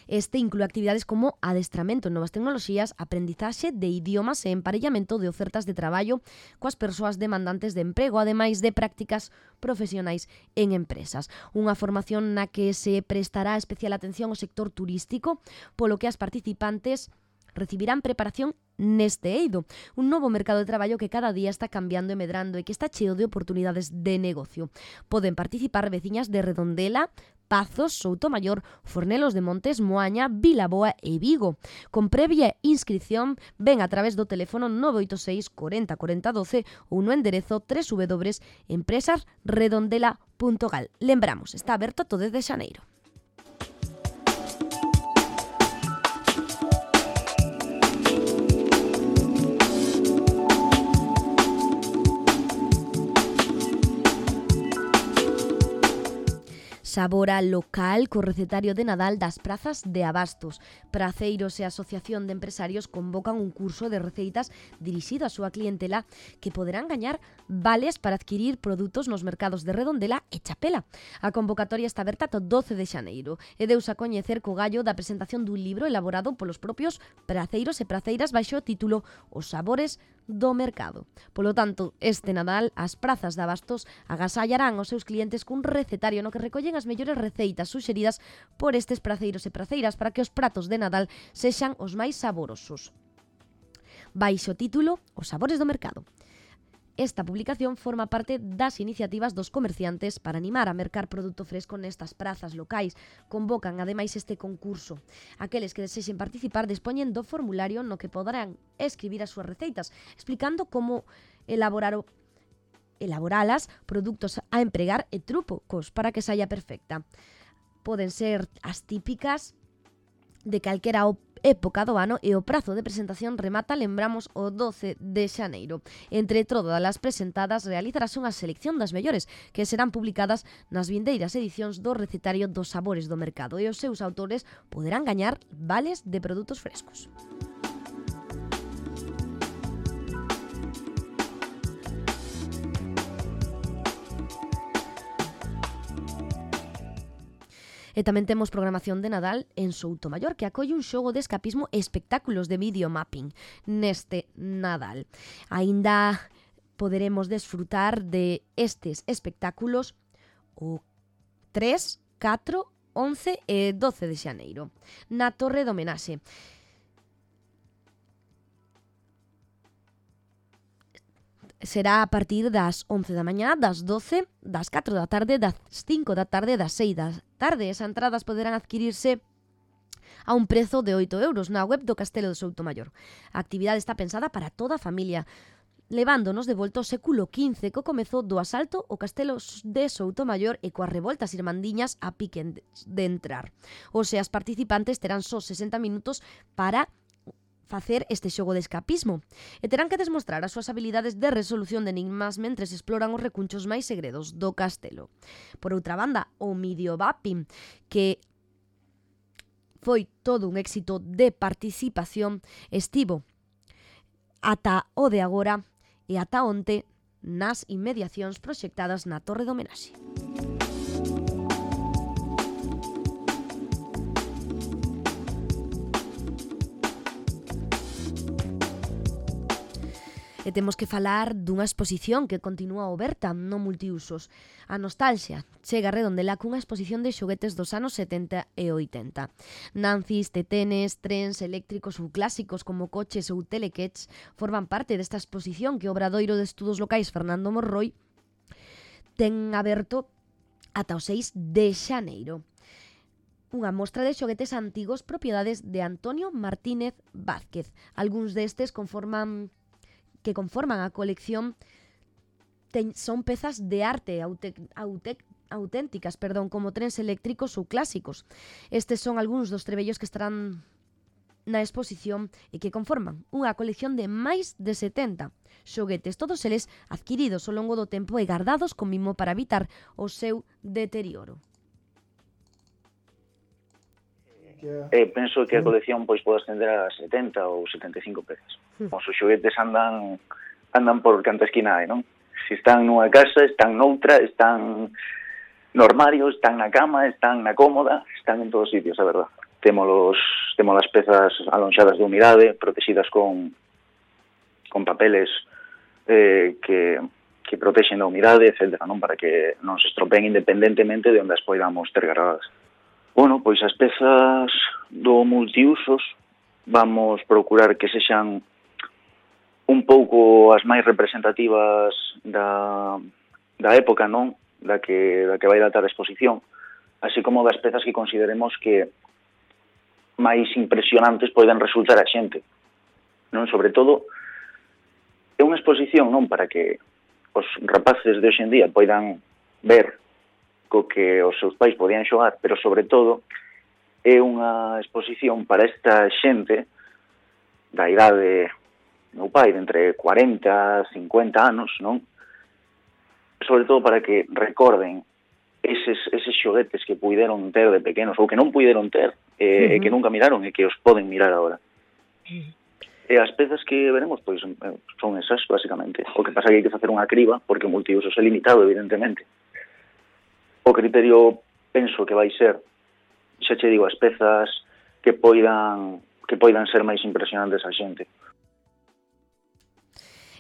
Este inclúe actividades como adestramento en novas tecnoloxías, aprendizaxe de idiomas e emparellamento de ofertas de traballo coas persoas demandantes de emprego, ademais de prácticas profesionais en empresas. Unha formación na que se prestará especial atención ao sector turístico, polo que as participantes recibirán preparación neste eido, un novo mercado de traballo que cada día está cambiando e medrando e que está cheo de oportunidades de negocio. Poden participar veciñas de Redondela, Pazos, Soutomaior, Fornelos de Montes, Moaña, Vilaboa e Vigo. Con previa inscripción, ven a través do teléfono 986 40 40 12 ou no enderezo www.empresasredondela.gal. Lembramos, está aberto todo desde xaneiro. Sabora local co recetario de Nadal das prazas de abastos. Praceiros e a Asociación de Empresarios convocan un curso de receitas dirixido á súa clientela que poderán gañar vales para adquirir produtos nos mercados de Redondela e Chapela. A convocatoria está aberta ata o 12 de xaneiro e deus a coñecer co gallo da presentación dun libro elaborado polos propios praceiros e praceiras baixo o título Os sabores do mercado. Polo tanto, este Nadal, as prazas de abastos agasallarán aos seus clientes cun recetario no que recollen as mellores receitas suxeridas por estes praceiros e praceiras para que os pratos de Nadal sexan os máis saborosos. Baixo o título Os sabores do mercado. Esta publicación forma parte das iniciativas dos comerciantes para animar a mercar produto fresco nestas prazas locais. Convocan, ademais, este concurso. Aqueles que desexen participar dispoñen do formulario no que poderán escribir as súas receitas, explicando como elaboralas, produtos a empregar e trucos para que saia perfecta. Poden ser as típicas de calquera época do ano e o prazo de presentación remata, lembramos, o 12 de xaneiro. Entre todas as presentadas realizarase unha selección das mellores que serán publicadas nas vindeiras edicións do recetario dos sabores do mercado e os seus autores poderán gañar vales de produtos frescos. E tamén temos programación de Nadal en Soutomaior, que acolle un xogo de escapismo e espectáculos de videomapping neste Nadal. Aínda poderemos desfrutar de estes espectáculos o 3, 4, 11 e 12 de xaneiro na Torre do Homenaxe. Será a partir das 11 da mañá, das 12, das 4 da tarde, das 5 da tarde, das 6 da tarde. As entradas poderán adquirirse a un prezo de 8 euros na web do Castelo de Soutomaior. A actividade está pensada para toda a familia, levándonos de volta ao século XV, co comezo do asalto ao Castelo de Soutomaior e coas revoltas irmandiñas a pique de entrar. Os e as participantes terán só 60 minutos para facer este xogo de escapismo e terán que demostrar as súas habilidades de resolución de enigmas mentres exploran os recunchos máis segredos do castelo. Por outra banda, o videomapping, que foi todo un éxito de participación, estivo ata o de agora e ata onte nas inmediacións proxectadas na Torre do Homenaxe. E temos que falar dunha exposición que continúa aberta no multiusos. A nostalgia chega a Redondela cunha exposición de xoguetes dos anos 70 e 80. Nancis, tetenes, trens eléctricos ou clásicos como coches ou telequets forman parte desta exposición que o Obradoiro de Estudos Locais Fernando Morroi ten aberto ata o 6 de xaneiro. Unha mostra de xoguetes antigos propiedades de Antonio Martínez Vázquez. Algúns destes conforman a colección son pezas de arte auténticas, como trens eléctricos ou clásicos. Estes son algúns dos trebellos que estarán na exposición e que conforman unha colección de máis de 70 xoguetes, todos eles adquiridos ao longo do tempo e guardados con mimo para evitar o seu deterioro. Penso que a colección pois pode ascender a 70 ou 75 pezas. Os xoguetes andan por canta esquina hai, non? Se están nunha casa, están noutra, están no armario, están na cama, están na cómoda, están en todos os sitios, a verdad. Temos as pezas alonxadas de humidade, protegidas con papeles que protexen da humidade, etc., non? Para que non se estropeen independentemente de onde as poidamos ter gravadas. Bueno, pois as pezas do multiusos vamos procurar que sexan un pouco as máis representativas da época, non? Da que vai datar a exposición, así como das pezas que consideremos que máis impresionantes poden resultar a xente, non? Sobre todo, é unha exposición non para que os rapaces de hoxe en día poidan ver co que os seus pais podían xogar, pero sobre todo é unha exposición para esta xente da idade meu pai, de entre 40 e 50 anos, non? Sobre todo para que recorden eses xoguetes que puideron ter de pequenos ou que non puideron ter e que nunca miraron e que os poden mirar agora. E as pezas que veremos pois son esas, basicamente. O que pasa é que hai que facer unha criba porque o multiusos é limitado, evidentemente. O criterio penso que vai ser, xa che digo, as pezas que poidan ser máis impresionantes a xente.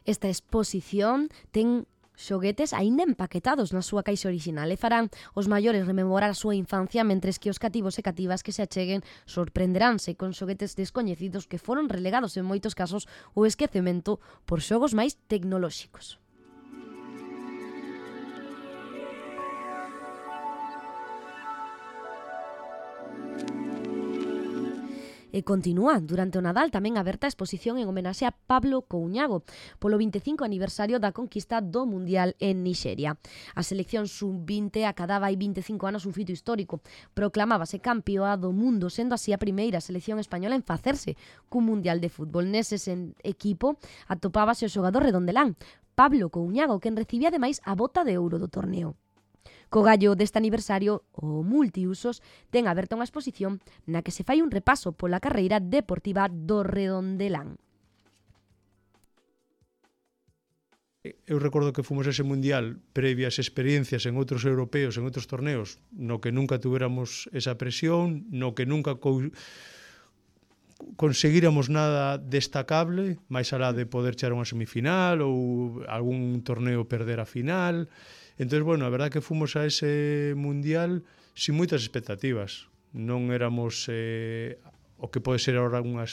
Esta exposición ten xoguetes aínda empaquetados na súa caixa orixinal e farán os maiores rememorar a súa infancia, mentres que os cativos e cativas que se acheguen sorprenderánse con xoguetes descoñecidos que foron relegados en moitos casos ao esquecemento por xogos máis tecnolóxicos. E continúa durante o Nadal tamén aberta a exposición en homenaxe a Pablo Couñago polo 25 aniversario da conquista do Mundial en Nixeria. A selección sub-20 acadaba hai 25 anos un fito histórico. Proclamábase campeoa do mundo, sendo así a primeira selección española en facerse cun Mundial de fútbol. Nese equipo atopábase o xogador redondelán, Pablo Couñago, quen recibía ademais a bota de ouro do torneo. Co gallo deste aniversario, o Multiusos ten aberta unha exposición na que se fai un repaso pola carreira deportiva do redondelán. Eu recordo que fomos a ese mundial previas experiencias en outros europeos, en outros torneos, no que nunca tuviéramos esa presión, no que nunca conseguíramos nada destacable, máis alá de poder chegar a unha semifinal ou algún torneo perder a final. Entón, bueno, a verdad que fomos a ese mundial sin moitas expectativas. Non éramos o que pode ser ahora unha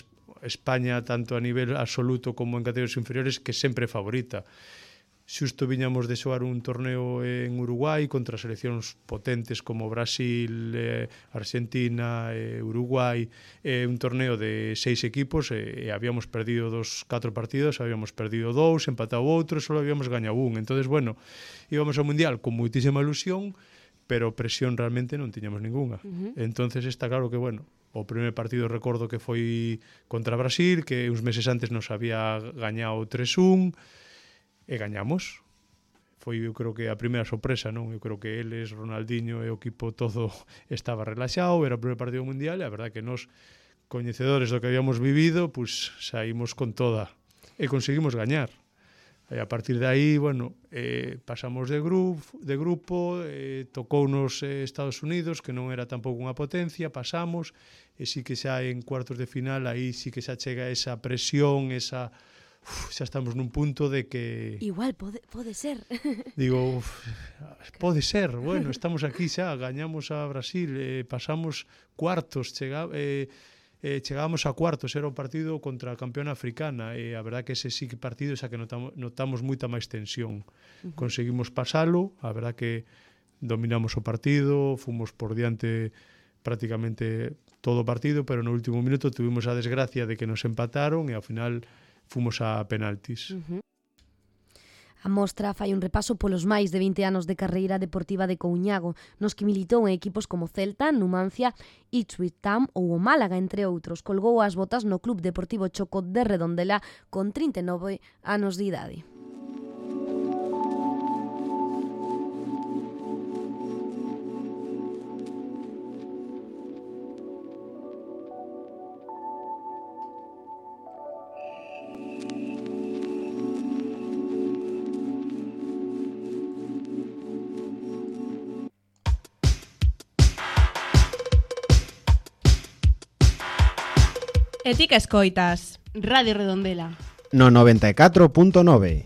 España tanto a nivel absoluto como en categorías inferiores, que sempre é favorita. Xusto viñamos de xogar un torneo en Uruguai contra seleccións potentes como Brasil, Argentina, Uruguai, un torneo de 6 equipos e habíamos perdido 4 partidos, habíamos perdido 2, empatado outro, só habíamos gañado un. Entonces, bueno, íbamos ao Mundial con moitísima ilusión, pero presión realmente non tiñamos ninguna. Entonces está claro que, bueno, o primer partido recordo que foi contra Brasil, que uns meses antes nos había gañado 3-1, e gañamos. Foi, eu creo que a primeira sorpresa, non? Eu creo que eles, Ronaldinho e o equipo todo estaba relaxado, era o primer partido mundial e a verdade que nos, coñecedores do que habíamos vivido, pues saímos con toda e conseguimos gañar. E a partir de aí, bueno, pasamos de grupo, tocounos Estados Unidos, que non era tampouco unha potencia, pasamos, e sí que xa en cuartos de final, aí sí que xa chega esa presión, esa... xa estamos nun punto de que... Igual, pode ser. Digo, pode ser, bueno, estamos aquí xa, gañamos a Brasil, pasamos cuartos, chegábamos a cuartos, era o partido contra a campeona africana, e a verdad que ese sí que partido xa que notamos moita máis tensión. Conseguimos pasalo, a verdad que dominamos o partido, fomos por diante prácticamente todo o partido, pero no último minuto tuvimos a desgracia de que nos empataron e ao final fomos a penaltis. A mostra fai un repaso polos máis de 20 anos de carreira deportiva de Couñago, nos que militou en equipos como Celta, Numancia, Ipswich Town ou o Málaga, entre outros. Colgou as botas no Club Deportivo Choco de Redondela con 39 anos de idade. E ti que escoitas? Radio Redondela. No 94.9.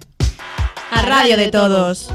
A radio de todos.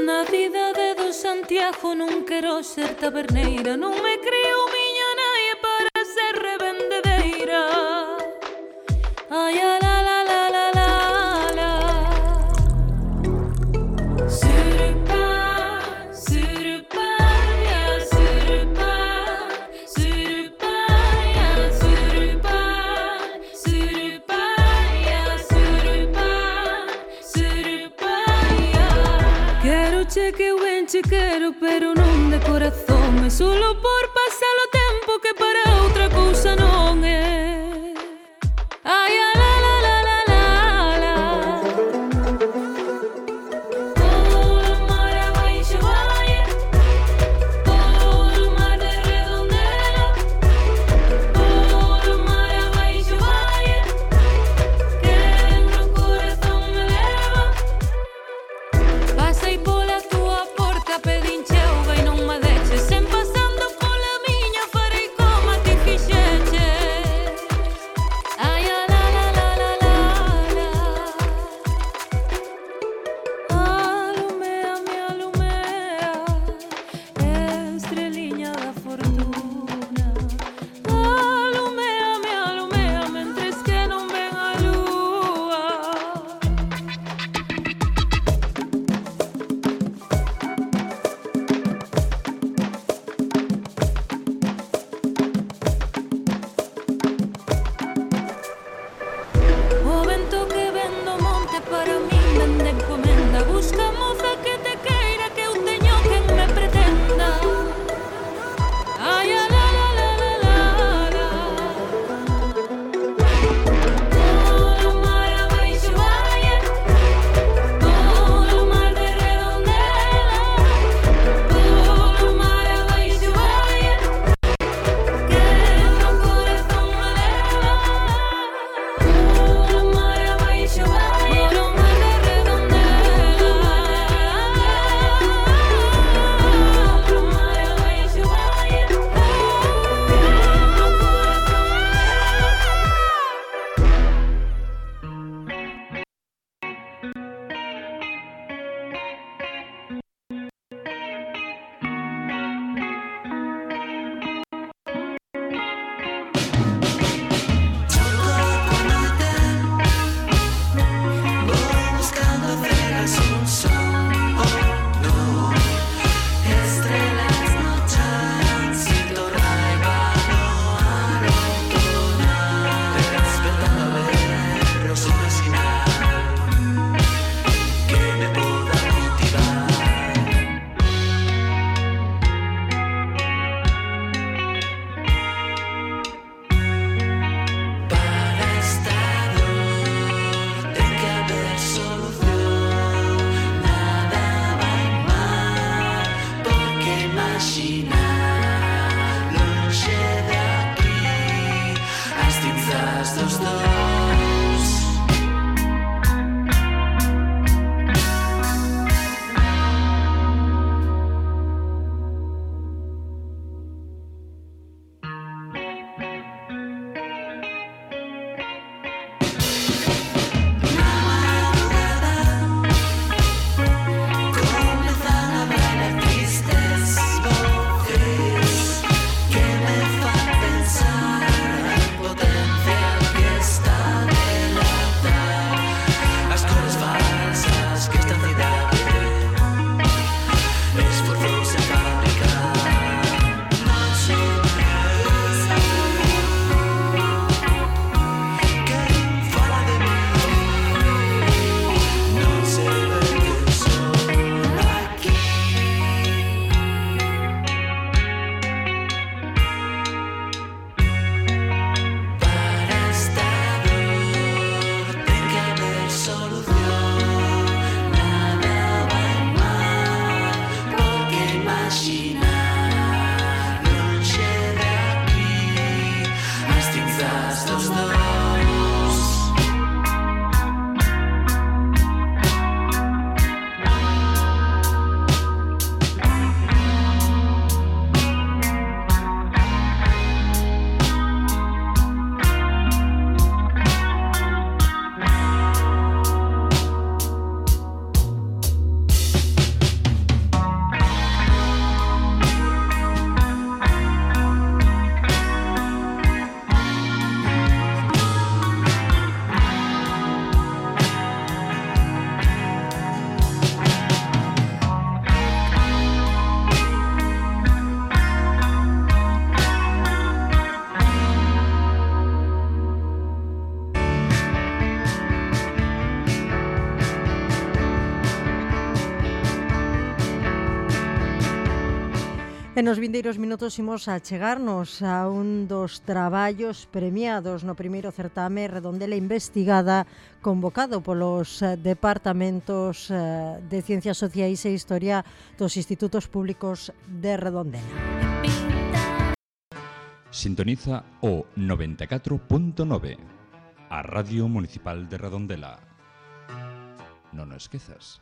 Na cidade do Santiago non quero ser taberneira, non me creo miña naie para ser revendedeira. Ai, a la la la la la la. Surupa, surupa, ya surupa, surupa, ya surupa, surupa, ya surupa, surupa, ya. Quero che que eu ben che quero, pero non de corazón, é solo por pasar o tempo que para outra cousa non é. Ai, a la la la la la la. Todo o mar abaixo vai, todo o mar de Redondela, todo o mar abaixo vai, que no corazón me leva. Pasei pola túa porta, pedinche auga e non me deixes, sen pasando pola vende encomenda. Busca moza que te queira, que eu teño quen me pretenda. Ai, a la la la la la la. Todo mar abaixo vai, todo mar de Redondela. Todo mar abaixo vai, que no corazón me leva. Todo mar abaixo vai, todo mar de Redondela. Todo mar abaixo vai, que no Voy buscando apenas un son, oh no. Estrellas no chan, sin tornar a lo autonal. Esperando a vernos una señal que me pueda motivar. Para esta dor tem que haber solución. Nada vai mal, porque imaginar longe de aquí as cinzas dos dous. Comenzan a bailar tristes voces que me fan pensar en potencial que está delatar as cores falsas que esta cidade esforzouse en fabricar. Non sei quen fala de mí, non sei quen son aquí. Para esta dor ten que haber solución. Nada vai mal, porque imaginar longe de aquí as cinzas dos dous. E nos vindeiros minutos imos a chegarnos a un dos traballos premiados no primeiro certame Redondela Investigada, convocado polos departamentos de Ciencias Sociais e Historia dos Institutos Públicos de Redondela. Sintoniza o 94.9, a Radio Municipal de Redondela. Non o esquezas.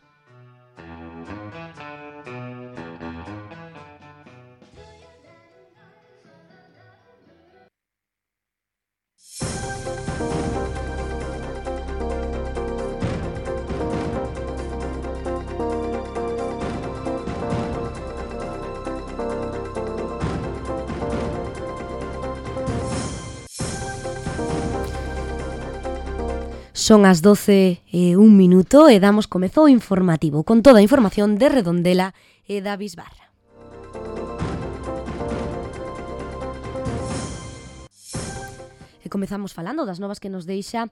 Son as 12:01 e damos comezo ao informativo con toda a información de Redondela e da Bisbarra. E comezamos falando das novas que nos deixa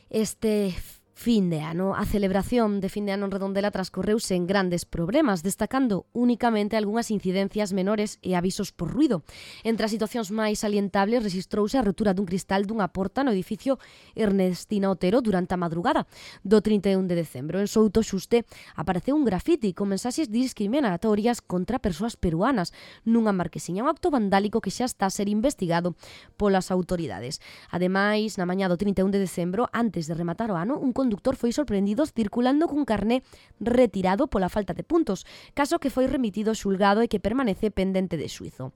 este Fin de ano. A celebración de fin de ano en Redondela transcorreuse en grandes problemas, destacando únicamente algunhas incidencias menores e avisos por ruido. Entre as situacións máis salientables rexistrouse a rotura dun cristal dunha porta no edificio Ernestina Otero durante a madrugada do 31 de decembro. En Souto Xuste apareceu un grafiti con mensaxes discriminatorias contra persoas peruanas nunha marquesiña, un acto vandálico que xa está a ser investigado polas autoridades. Ademais, na mañá do 31 de decembro, antes de rematar o ano, un conductor foi sorprendido circulando cun carné retirado pola falta de puntos, caso que foi remitido ao xulgado e que permanece pendente de xuízo.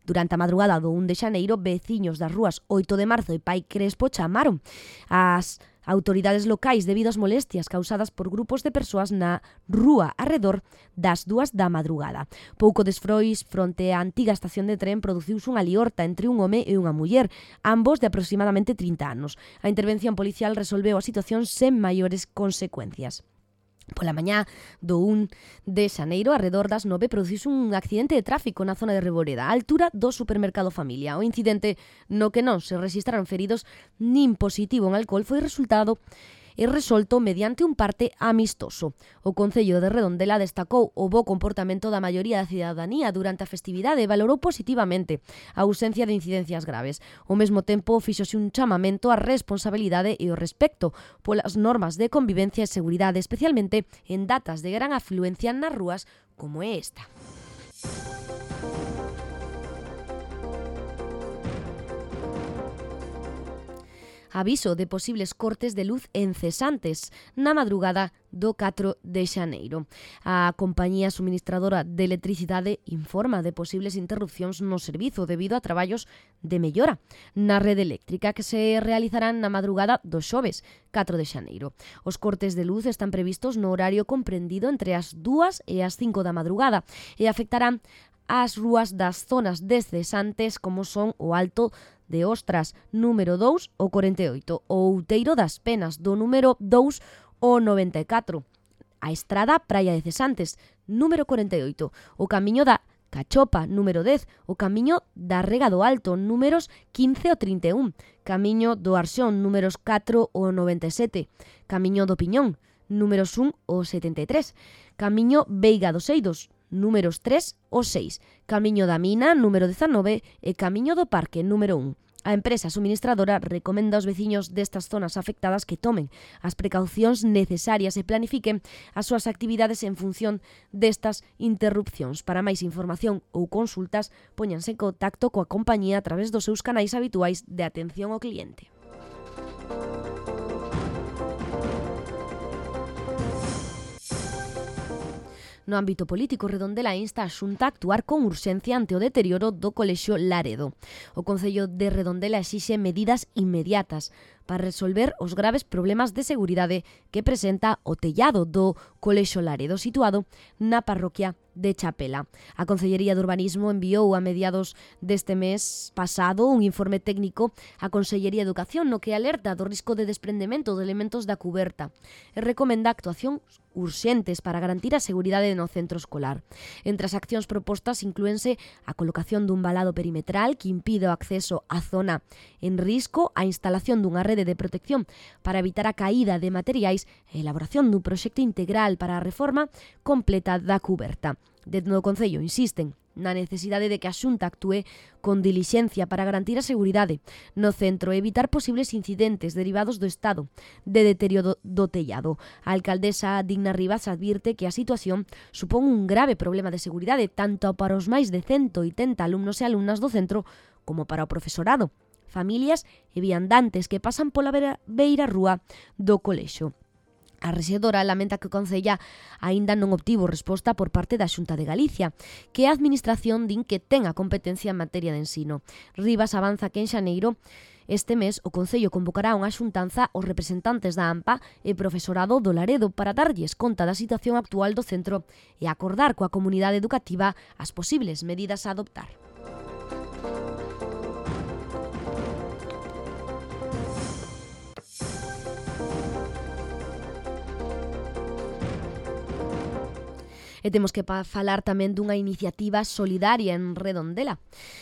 Durante a madrugada do 1 de xaneiro, veciños das rúas 8 de marzo e Pai Crespo chamaron as autoridades locais debido ás molestias causadas por grupos de persoas na rúa arredor das 2 da madrugada. Pouco desfrois, fronte á antiga estación de tren, produciuse unha liorta entre un home e unha muller, ambos de aproximadamente 30 anos. A intervención policial resolveu a situación sen maiores consecuencias. Pola mañá do 1 de xaneiro, arredor das 9, produciuse un accidente de tráfico na zona de Reboreda, á altura do supermercado Familia. O incidente no que non se rexistraron feridos nin positivo en alcohol foi resolto mediante un parte amistoso. O Concello de Redondela destacou o bo comportamento da maioría da cidadanía durante a festividade e valorou positivamente a ausencia de incidencias graves. Ao mesmo tempo, fíxose un chamamento á responsabilidade e o respecto polas normas de convivencia e seguridade, especialmente en datas de gran afluencia nas rúas como é esta. Aviso de posibles cortes de luz encesantes na madrugada do 4 de xaneiro. A compañía suministradora de electricidade informa de posibles interrupcións no servizo debido a traballos de mellora na rede eléctrica que se realizarán na madrugada do xoves 4 de xaneiro. Os cortes de luz están previstos no horario comprendido entre as 2 e as 5 da madrugada e afectarán as rúas das zonas descesantes como son o Alto de Ostras, número 2, o 48, o Outeiro das Penas, do número 2, o 94, a Estrada Praia de Cesantes, número 48, o Camiño da Cachopa, número 10, o Camiño da Rega do Alto, números 15 o 31, Camiño do Arxón, números 4 o 97, Camiño do Piñón, números 1 o 73, Camiño Veiga dos Eidos, números 3 o 6, Camiño da Mina, número 19 e Camiño do Parque, número 1. A empresa suministradora recomenda aos veciños destas zonas afectadas que tomen as precaucións necesarias e planifiquen as súas actividades en función destas interrupcións. Para máis información ou consultas, póñanse en contacto coa compañía a través dos seus canais habituais de atención ao cliente. No ámbito político, Redondela insta a Xunta a actuar con urxencia ante o deterioro do Colexio Laredo. O Concello de Redondela exixe medidas inmediatas para resolver os graves problemas de seguridade que presenta o tellado do Colexio Laredo, situado na parroquia de Chapela. A Consellería de Urbanismo enviou a mediados deste mes pasado un informe técnico á Consellería de Educación no que alerta do risco de desprendemento de elementos da cuberta e recomenda actuacións urxentes para garantir a seguridade no centro escolar. Entre as accións propostas inclúense a colocación dun valado perimetral que impide o acceso á zona en risco, a instalación dunha rede de protección para evitar a caída de materiais e a elaboración dun proxecto integral para a reforma completa da cuberta. Dentro do Concello insisten na necesidade de que a Xunta actúe con dilixencia para garantir a seguridade no centro e evitar posibles incidentes derivados do estado de deterioro do tellado. A alcaldesa Digna Rivas advirte que a situación supón un grave problema de seguridade tanto para os máis de 180 alumnos e alumnas do centro como para o profesorado, familias e viandantes que pasan pola beira rúa do colexio. A rexedora lamenta que o Concella aínda non obtivo resposta por parte da Xunta de Galicia, que a Administración din que ten a competencia en materia de ensino. Rivas avanza que en xaneiro este mes o Concello convocará unha xuntanza aos representantes da AMPA e profesorado do Laredo para darlles conta da situación actual do centro e acordar coa comunidade educativa as posibles medidas a adoptar. E temos que falar tamén dunha iniciativa solidaria en Redondela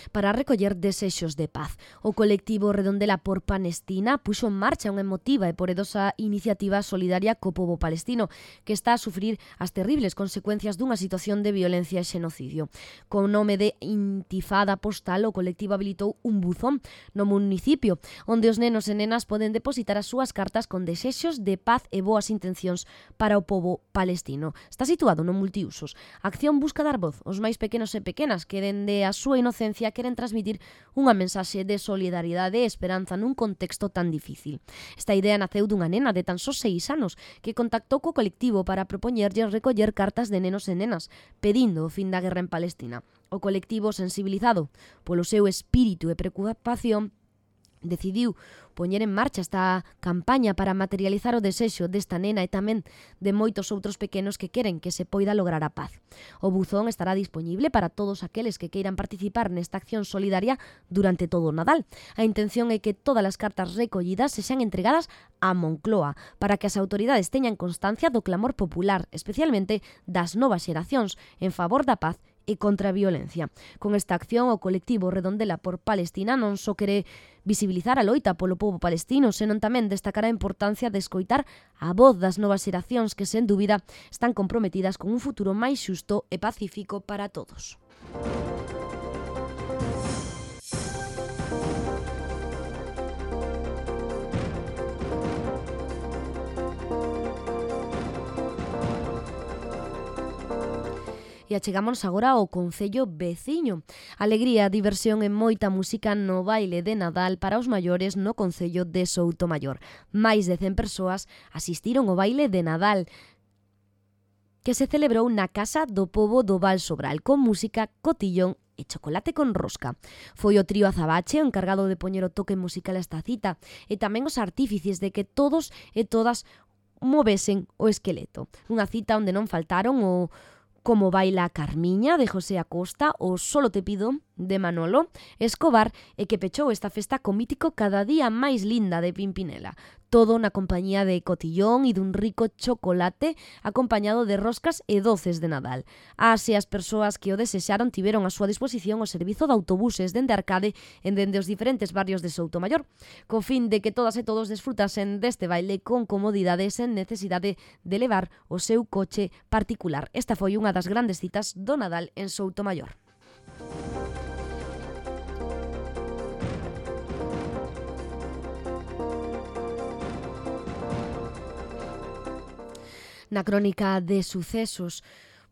para recoller desexos de paz. O colectivo Redondela por Palestina puxo en marcha unha emotiva e poderosa iniciativa solidaria co pobo palestino que está a sufrir as terribles consecuencias dunha situación de violencia e xenocidio. Con nome de Intifada Postal, o colectivo habilitou un buzón no municipio onde os nenos e nenas poden depositar as súas cartas con desexos de paz e boas intencións para o pobo palestino. Está situado no multiusos. A acción busca dar voz aos máis pequenos e pequenas que dende a súa inocencia queren transmitir unha mensaxe de solidariedade e esperanza nun contexto tan difícil. Esta idea naceu dunha nena de tan só 6 anos que contactou co colectivo para propoñerlle recoller cartas de nenos e nenas pedindo o fin da guerra en Palestina. O colectivo, sensibilizado polo seu espírito e preocupación, decidiu poñer en marcha esta campaña para materializar o desexo desta nena e tamén de moitos outros pequenos que queren que se poida lograr a paz. O buzón estará disponible para todos aqueles que queiran participar nesta acción solidaria durante todo o Nadal. A intención é que todas as cartas recollidas se sean entregadas a Moncloa para que as autoridades teñan constancia do clamor popular, especialmente das novas xeracións, en favor da paz e contra a violencia. Con esta acción, o colectivo Redondela por Palestina non só quere visibilizar a loita polo pobo palestino, senón tamén destacar a importancia de escoitar a voz das novas xeracións que, sen dúbida, están comprometidas con un futuro máis xusto e pacífico para todos. E achegámonos agora ao concello veciño. Alegría, diversión e moita música no baile de Nadal para os maiores no concello de Soutomaior. Máis de 100 persoas asistiron ao baile de Nadal que se celebrou na Casa do Pobo do Val Sobral con música, cotillón e chocolate con rosca. Foi o trío Azabache o encargado de poñer o toque musical a esta cita e tamén os artífices de que todos e todas movesen o esqueleto. Unha cita onde non faltaron o Como baila Carmiña, de José Acosta, o Solo te pido, de Manolo Escobar, e que pechou esta festa co mítico Cada día máis linda de Pimpinela. Todo na compañía de cotillón e dun rico chocolate acompañado de roscas e doces de Nadal. As e as persoas que o desexaron tiveron a súa disposición o servizo de autobuses dende Arcade e dende os diferentes barrios de Soutomaior, co fin de que todas e todos desfrutasen deste baile con comodidade sen necesidade de levar o seu coche particular. Esta foi unha das grandes citas do Nadal en Soutomaior. Na crónica de sucesos,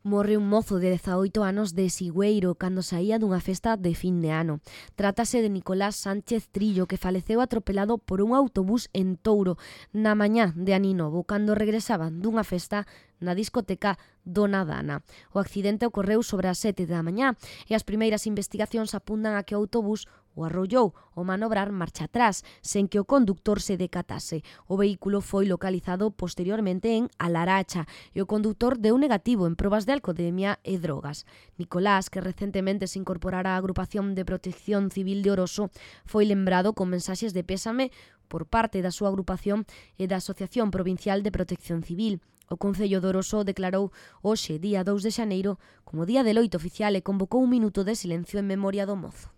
morre un mozo de 18 anos de Sigüeiro cando saía dunha festa de fin de ano. Trátase de Nicolás Sánchez Trillo, que faleceu atropelado por un autobús en Touro na mañá de Aninovo, cando regresaban dunha festa na discoteca Dona Dana. O accidente ocorreu sobre as 7 da mañá e as primeiras investigacións apuntan a que o autobús o arrollou ao manobrar marcha atrás, sen que o conductor se decatase. O vehículo foi localizado posteriormente en Alaracha e o conductor deu negativo en probas de alcoholemia e drogas. Nicolás, que recentemente se incorporara á agrupación de protección civil de Oroso, foi lembrado con mensaxes de pésame por parte da súa agrupación e da Asociación Provincial de Protección Civil. O Concello de Oroso declarou hoxe, día 2 de xaneiro, como día de loito oficial e convocou un minuto de silencio en memoria do mozo.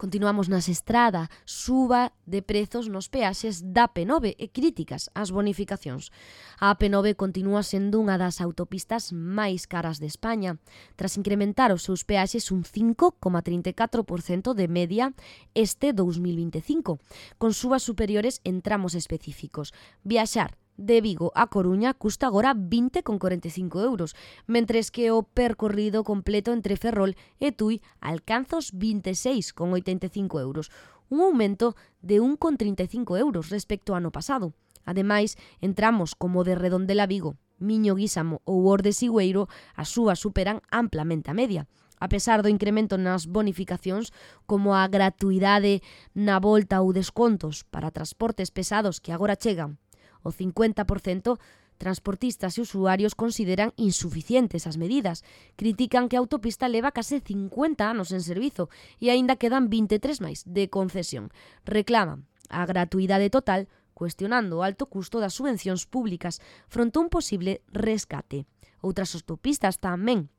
Continuamos nas estrada, suba de prezos nos peaxes da P9 e críticas ás bonificacións. A P9 continúa sendo unha das autopistas máis caras de España, tras incrementar os seus peaxes un 5,34% de media este 2025, con subas superiores en tramos específicos. Viaxar de Vigo a Coruña custa agora 20,45 euros, mentres que o percorrido completo entre Ferrol e Tui alcanza os 26,85 euros, un aumento de 1,35 euros respecto ao ano pasado. Ademais, en tramos como de Redondela a Vigo, Miño Guísamo ou Orde Sigüeiro, as súas superan amplamente a media. A pesar do incremento nas bonificacións, como a gratuidade na volta ou descontos para transportes pesados que agora chegan, o 50%, transportistas e usuarios consideran insuficientes as medidas. Critican que a autopista leva case 50 anos en servizo e aínda quedan 23 máis de concesión. Reclaman a gratuidade total, cuestionando o alto custo das subvencións públicas fronte a un posible rescate. Outras autopistas tamén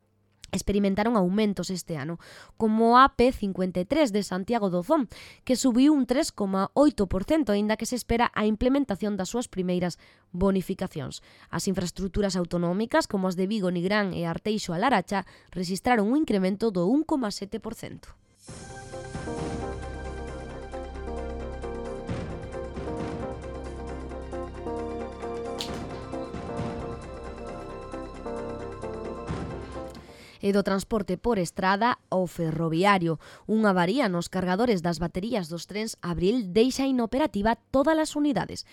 experimentaron aumentos este ano, como a AP53 de Santiago do Zón, que subiu un 3,8%, aínda que se espera a implementación das súas primeiras bonificacións. As infraestructuras autonómicas, como as de Vigo, Nigrán e Arteixo a Laracha, rexistraron un incremento do 1,7%. E do transporte por estrada ao ferroviario. Unha avaría nos cargadores das baterías dos trens Abril deixa inoperativa todas as unidades.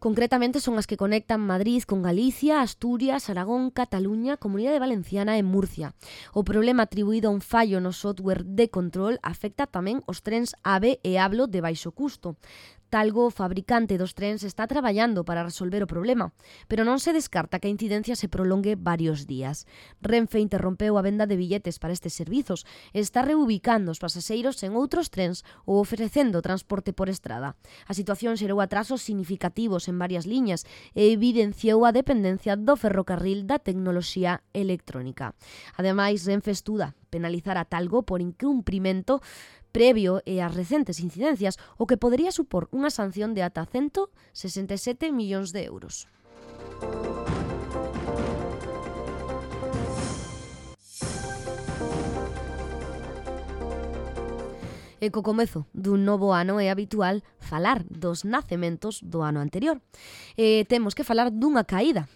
Concretamente son as que conectan Madrid con Galicia, Asturias, Aragón, Cataluña, Comunidade Valenciana e Murcia. O problema atribuído a un fallo no software de control afecta tamén os trens AVE e Ablo de baixo custo. Talgo, o fabricante dos trens, está traballando para resolver o problema, pero non se descarta que a incidencia se prolongue varios días. Renfe interrompeu a venda de billetes para estes servizos e está reubicando os pasaxeiros en outros trens ou ofrecendo transporte por estrada. A situación xerou atrasos significativos en varias liñas e evidenciou a dependencia do ferrocarril da tecnoloxía electrónica. Ademais, Renfe estuda penalizar a Talgo por incumprimento previo e as recentes incidencias, o que podería supor unha sanción de ata 167 millóns de euros. E co comezo dun novo ano é habitual falar dos nacementos do ano anterior. E temos que falar dunha caída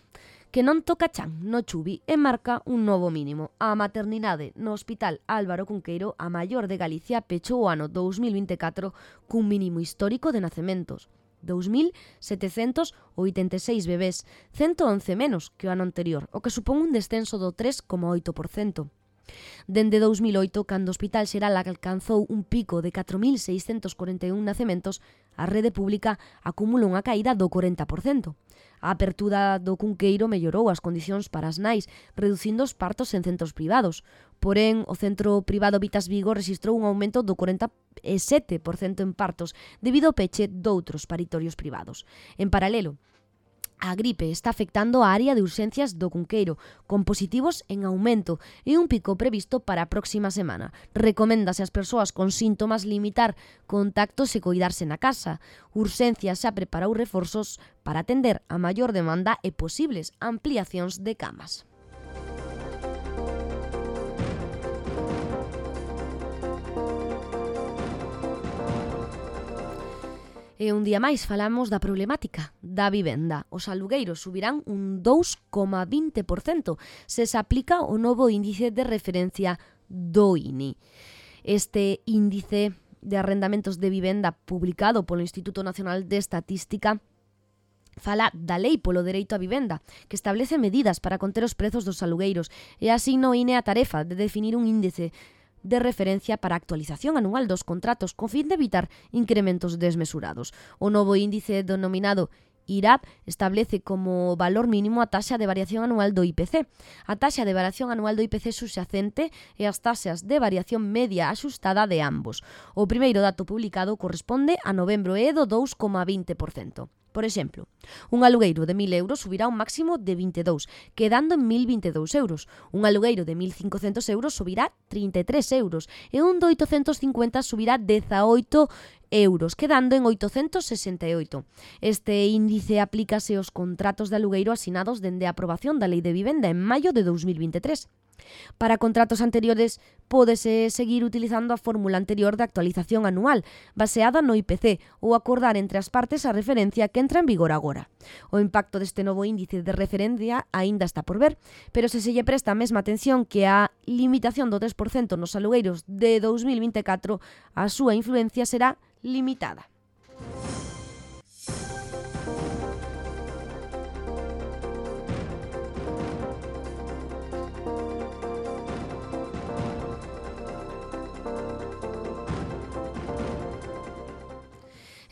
que non toca chan no Chubi e marca un novo mínimo. A maternidade no Hospital Álvaro Cunqueiro, a maior de Galicia, pechou o ano 2024 cun mínimo histórico de nacementos. 2.786 bebés, 111 menos que o ano anterior, o que supón un descenso do 3,8%. Dende 2008, cando o Hospital Xeral alcanzou un pico de 4.641 nacementos, a rede pública acumula unha caída do 40%. A apertura do Cunqueiro mellorou as condicións para as nais, reducindo os partos en centros privados. Porén, o centro privado Vitas Vigo rexistrou un aumento do 47% en partos debido ao peche doutros paritorios privados. En paralelo, a gripe está afectando a área de urxencias do Cunqueiro, con positivos en aumento e un pico previsto para a próxima semana. Recoméndase ás persoas con síntomas limitar contactos e coidarse na casa. Urxencias xa preparou reforzos para atender a maior demanda e posibles ampliacións de camas. E un día máis falamos da problemática da vivenda. Os alugueiros subirán un 2,20% se se aplica o novo índice de referencia do INI. Este índice de arrendamentos de vivenda publicado polo Instituto Nacional de Estatística fala da Lei polo Dereito á Vivenda, que establece medidas para conter os prezos dos alugueiros e asigna ao INE a tarefa de definir un índice de referencia para a actualización anual dos contratos con fin de evitar incrementos desmesurados. O novo índice denominado IRAP establece como valor mínimo a taxa de variación anual do IPC. A taxa de variación anual do IPC subxacente e as taxas de variación media axustada de ambos. O primeiro dato publicado corresponde a novembro e do 2,20%. Por exemplo, un alugueiro de 1.000 euros subirá un máximo de 22, quedando en 1.022 euros. Un alugueiro de 1.500 euros subirá 33 euros e un de 850 subirá 18 euros, quedando en 868. Este índice aplícase aos contratos de alugueiro asinados dende a aprobación da Lei de Vivenda en maio de 2023. Para contratos anteriores, pódese seguir utilizando a fórmula anterior de actualización anual, baseada no IPC, ou acordar entre as partes a referencia que entra en vigor agora. O impacto deste novo índice de referencia aínda está por ver, pero se lle presta a mesma atención que a limitación do 3% nos alugueiros de 2024, a súa influencia será limitada.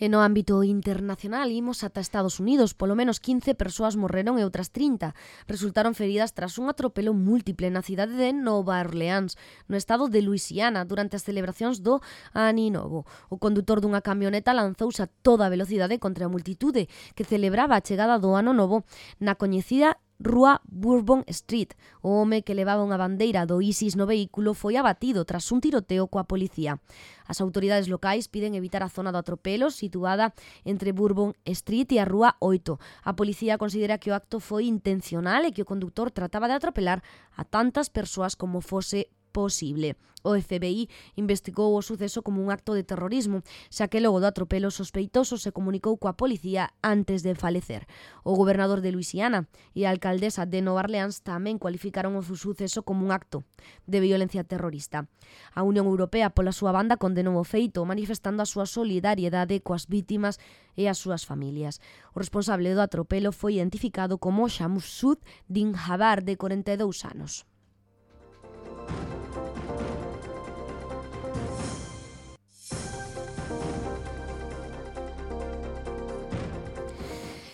E no ámbito internacional imos ata Estados Unidos. Polo menos 15 persoas morreron e outras 30 resultaron feridas tras un atropelo múltiple na cidade de Nova Orleans, no estado de Luisiana, durante as celebracións do Ano Novo. O condutor dunha camioneta lanzouse a toda velocidade contra a multitude que celebraba a chegada do Ano Novo na coñecida Rúa Bourbon Street. O home que levaba unha bandeira do ISIS no vehículo foi abatido tras un tiroteo coa policía. As autoridades locais piden evitar a zona do atropelo situada entre Bourbon Street e a Rúa 8. A policía considera que o acto foi intencional e que o conductor trataba de atropelar a tantas persoas como fose posible. O FBI investigou o suceso como un acto de terrorismo, xa que logo do atropelo sospeitoso se comunicou coa policía antes de falecer. O gobernador de Luisiana e a alcaldesa de Nova Orleans tamén cualificaron o suceso como un acto de violencia terrorista. A Unión Europea, pola súa banda, condenou o feito, manifestando a súa solidariedade coas vítimas e as súas familias. O responsable do atropelo foi identificado como Shamsud Din Jabbar, de 42 anos.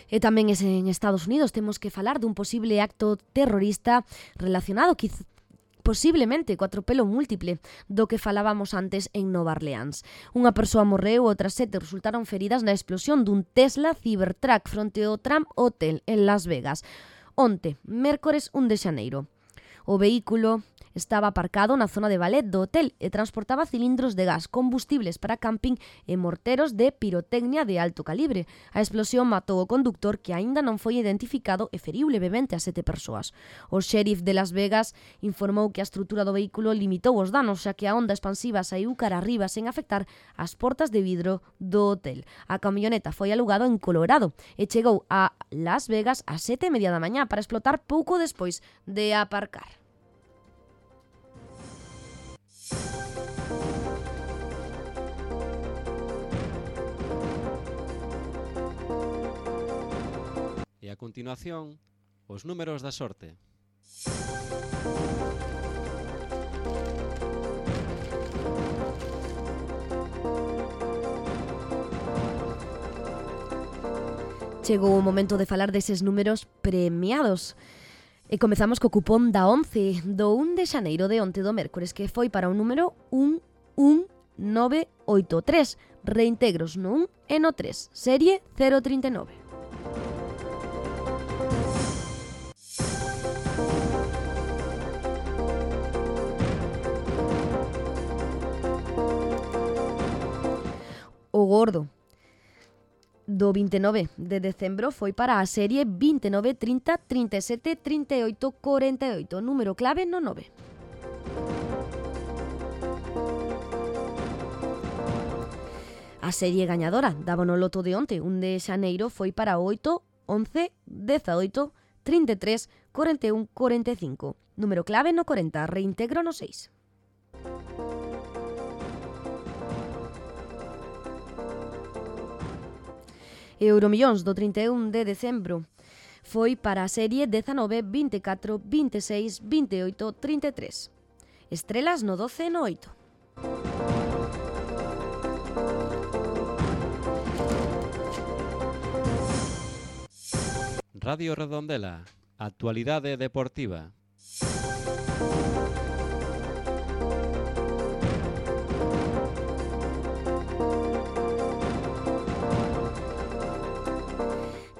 E tamén en Estados Unidos temos que falar dun posible acto terrorista relacionado posiblemente co atropelo múltiple do que falábamos antes en Nova Orleans. Unha persoa morreu e outras 7 resultaron feridas na explosión dun Tesla Cybertruck fronte ao Trump Hotel en Las Vegas onte, mércores 1 de xaneiro. O vehículo estaba aparcado na zona de ballet do hotel e transportaba cilindros de gas, combustibles para camping e morteros de pirotecnia de alto calibre. A explosión matou o conductor, que aínda non foi identificado, e feriu levemente a 7 persoas. O xerif de Las Vegas informou que a estrutura do vehículo limitou os danos, xa que a onda expansiva saíu cara arriba sen afectar as portas de vidro do hotel. A camioneta foi alugado en Colorado e chegou a Las Vegas a 7:30 da mañá para explotar pouco despois de aparcar. E a continuación, os números da sorte. Chegou o momento de falar deses números premiados. E comezamos co cupón da 11 do 1 de xaneiro de onte do mércores, que foi para o número 11983, reintegros no 1 e no 3, serie 039. O gordo do 29 de decembro foi para a serie 29 30 37 38 48, número clave no 9. A serie gañadora da Bonoloto de onte, 1 de xaneiro, foi para 8 11 18 33 41 45, número clave no 40, reintegro no 6. Euromillóns do 31 de decembro foi para a serie 19 24 26 28 33. Estrelas no 12 e no 8. Radio Redondela, actualidade deportiva.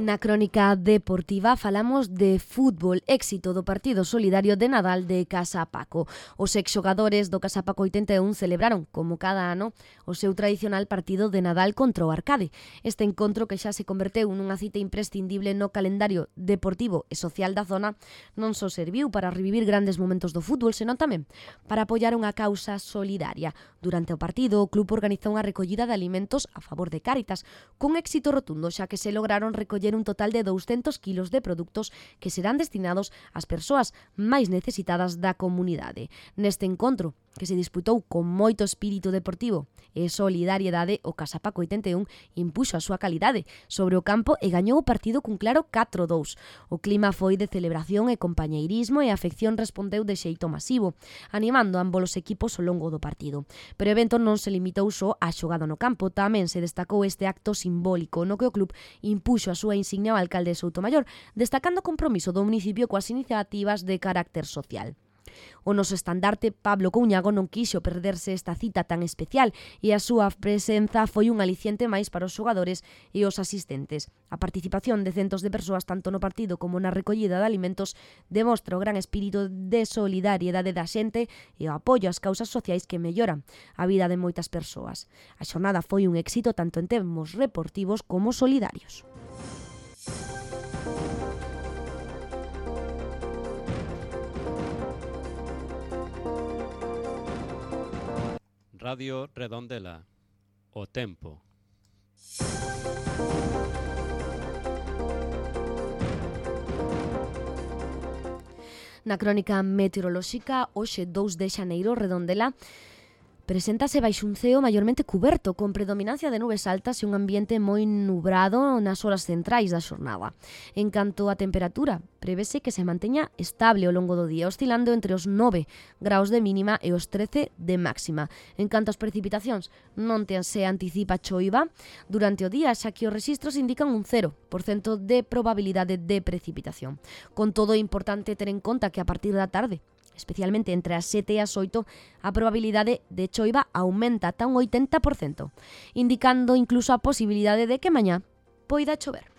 Na crónica deportiva falamos de fútbol, éxito do partido solidario de Nadal de Casa Paco. Os exxogadores do Casa Paco 81 celebraron, como cada ano, o seu tradicional partido de Nadal contra o Arcade. Este encontro, que xa se converteu nunha cita imprescindible no calendario deportivo e social da zona, non só serviu para revivir grandes momentos do fútbol, senón tamén para apoiar unha causa solidaria. Durante o partido, o club organizou unha recollida de alimentos a favor de Cáritas, con éxito rotundo, xa que se lograron recoller un total de 200 kilos de produtos que serán destinados ás persoas máis necesitadas da comunidade. Neste encontro, que se disputou con moito espírito deportivo e solidariedade, o Casapaco 81 impuxo a súa calidade sobre o campo e gañou o partido cun claro 4-2. O clima foi de celebración e compañeirismo e a afección respondeu de xeito masivo, animando ambos os equipos ao longo do partido. Pero o evento non se limitou só á xogada no campo, tamén se destacou este acto simbólico no que o club impuxo a súa insignia ao alcalde de Soutomaior, destacando o compromiso do municipio coas iniciativas de carácter social. O noso estandarte, Pablo Couñago, non quixo perderse esta cita tan especial e a súa presenza foi un aliciente máis para os xogadores e os asistentes. A participación de centos de persoas tanto no partido como na recollida de alimentos demostra o gran espírito de solidariedade da xente e o apoio ás causas sociais que melloran a vida de moitas persoas. A xornada foi un éxito tanto en termos deportivos como solidarios. Radio Redondela. O tempo. Na crónica meteorolóxica, hoxe 2 de xaneiro, Redondela preséntase baixo un ceo maiormente cuberto, con predominancia de nubes altas e un ambiente moi nubrado nas horas centrais da xornada. En canto á temperatura, prevese que se manteña estable ao longo do día, oscilando entre os 9 graus de mínima e os 13 de máxima. En canto ás precipitacións, non se anticipa choiva durante o día, xa que os rexistros indican un 0% de probabilidade de precipitación. Con todo, é importante ter en conta que a partir da tarde, especialmente entre as 7 e as 8, a probabilidade de choiva aumenta ata un 80%, indicando incluso a posibilidade de que mañá poida chover.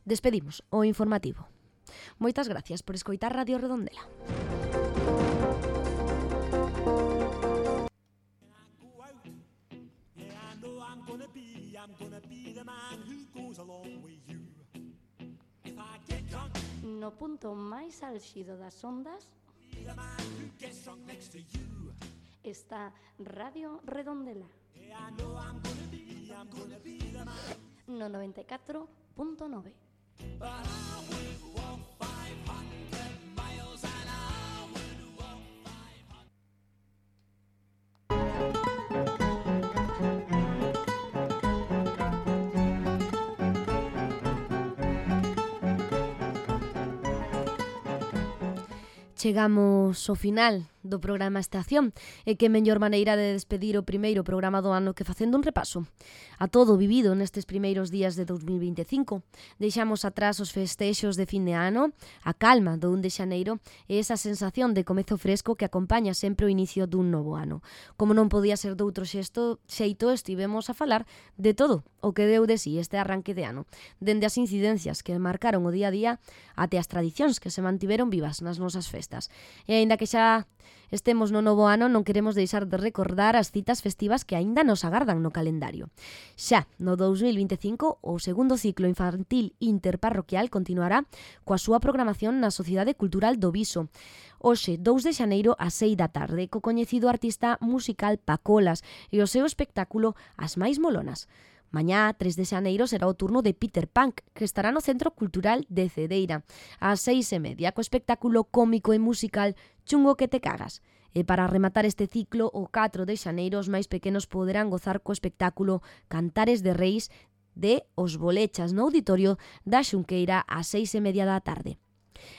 Despedimos o informativo. Moitas gracias por escoitar Radio Redondela. No punto máis álxido das ondas está Radio Redondela no 94.9. Chegamos ao final do programa Estación e que mellor maneira de despedir o primeiro programa do ano que facendo un repaso a todo o vivido nestes primeiros días de 2025. Deixamos atrás os festexos de fin de ano, a calma do 1 de xaneiro e esa sensación de comezo fresco que acompaña sempre o inicio dun novo ano. Como non podía ser doutro xeito, estivemos a falar de todo o que deu de si este arranque de ano, dende as incidencias que marcaron o día a día até as tradicións que se mantiveron vivas nas nosas festas. E aínda que xa estemos no novo ano, non queremos deixar de recordar as citas festivas que aínda nos agardan no calendario. Xa no 2025, o segundo ciclo infantil interparroquial continuará coa súa programación na Sociedade Cultural do Viso. Hoxe, 2 de xaneiro, ás 6 da tarde, co coñecido artista musical Pacolas e o seu espectáculo As Máis Molonas. Mañá, 3 de xaneiro, será o turno de Peter Punk, que estará no Centro Cultural de Cedeira, ás 6:30, co espectáculo cómico e musical Chungo que te cagas. E para rematar este ciclo, o 4 de xaneiro, os máis pequenos poderán gozar co espectáculo Cantares de Reis de Os Bolechas no auditorio da Xunqueira ás 6:30 da tarde.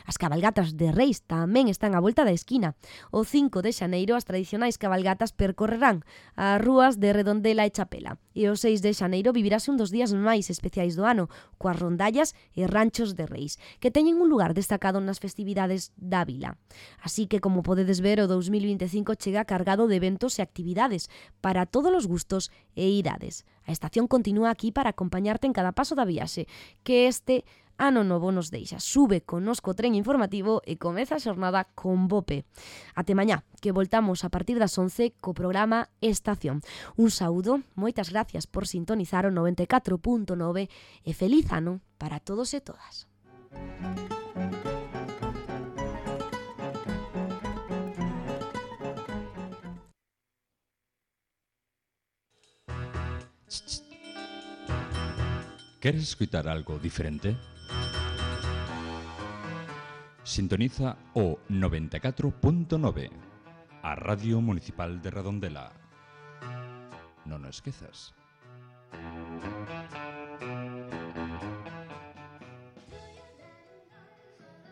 As cabalgatas de Reis tamén están á volta da esquina. O 5 de xaneiro as tradicionais cabalgatas percorrerán as rúas de Redondela e Chapela. E o 6 de xaneiro vivirase un dos días máis especiais do ano, coas rondallas e ranchos de Reis, que teñen un lugar destacado nas festividades da vila. Así que, como podedes ver, o 2025 chega cargado de eventos e actividades para todos os gustos e idades. A estación continúa aquí para acompañarte en cada paso da viaxe, que este ano novo nos deixa. Sube connosco o tren informativo e comeza a xornada con Bope. Até mañá, que voltamos a partir das 11 co programa Estación. Un saúdo, moitas gracias por sintonizar o 94.9 e feliz ano para todos e todas. ¿Queres escuchar algo diferente? Sintoniza o 94.9, a Radio Municipal de Redondela. Non o esquezas.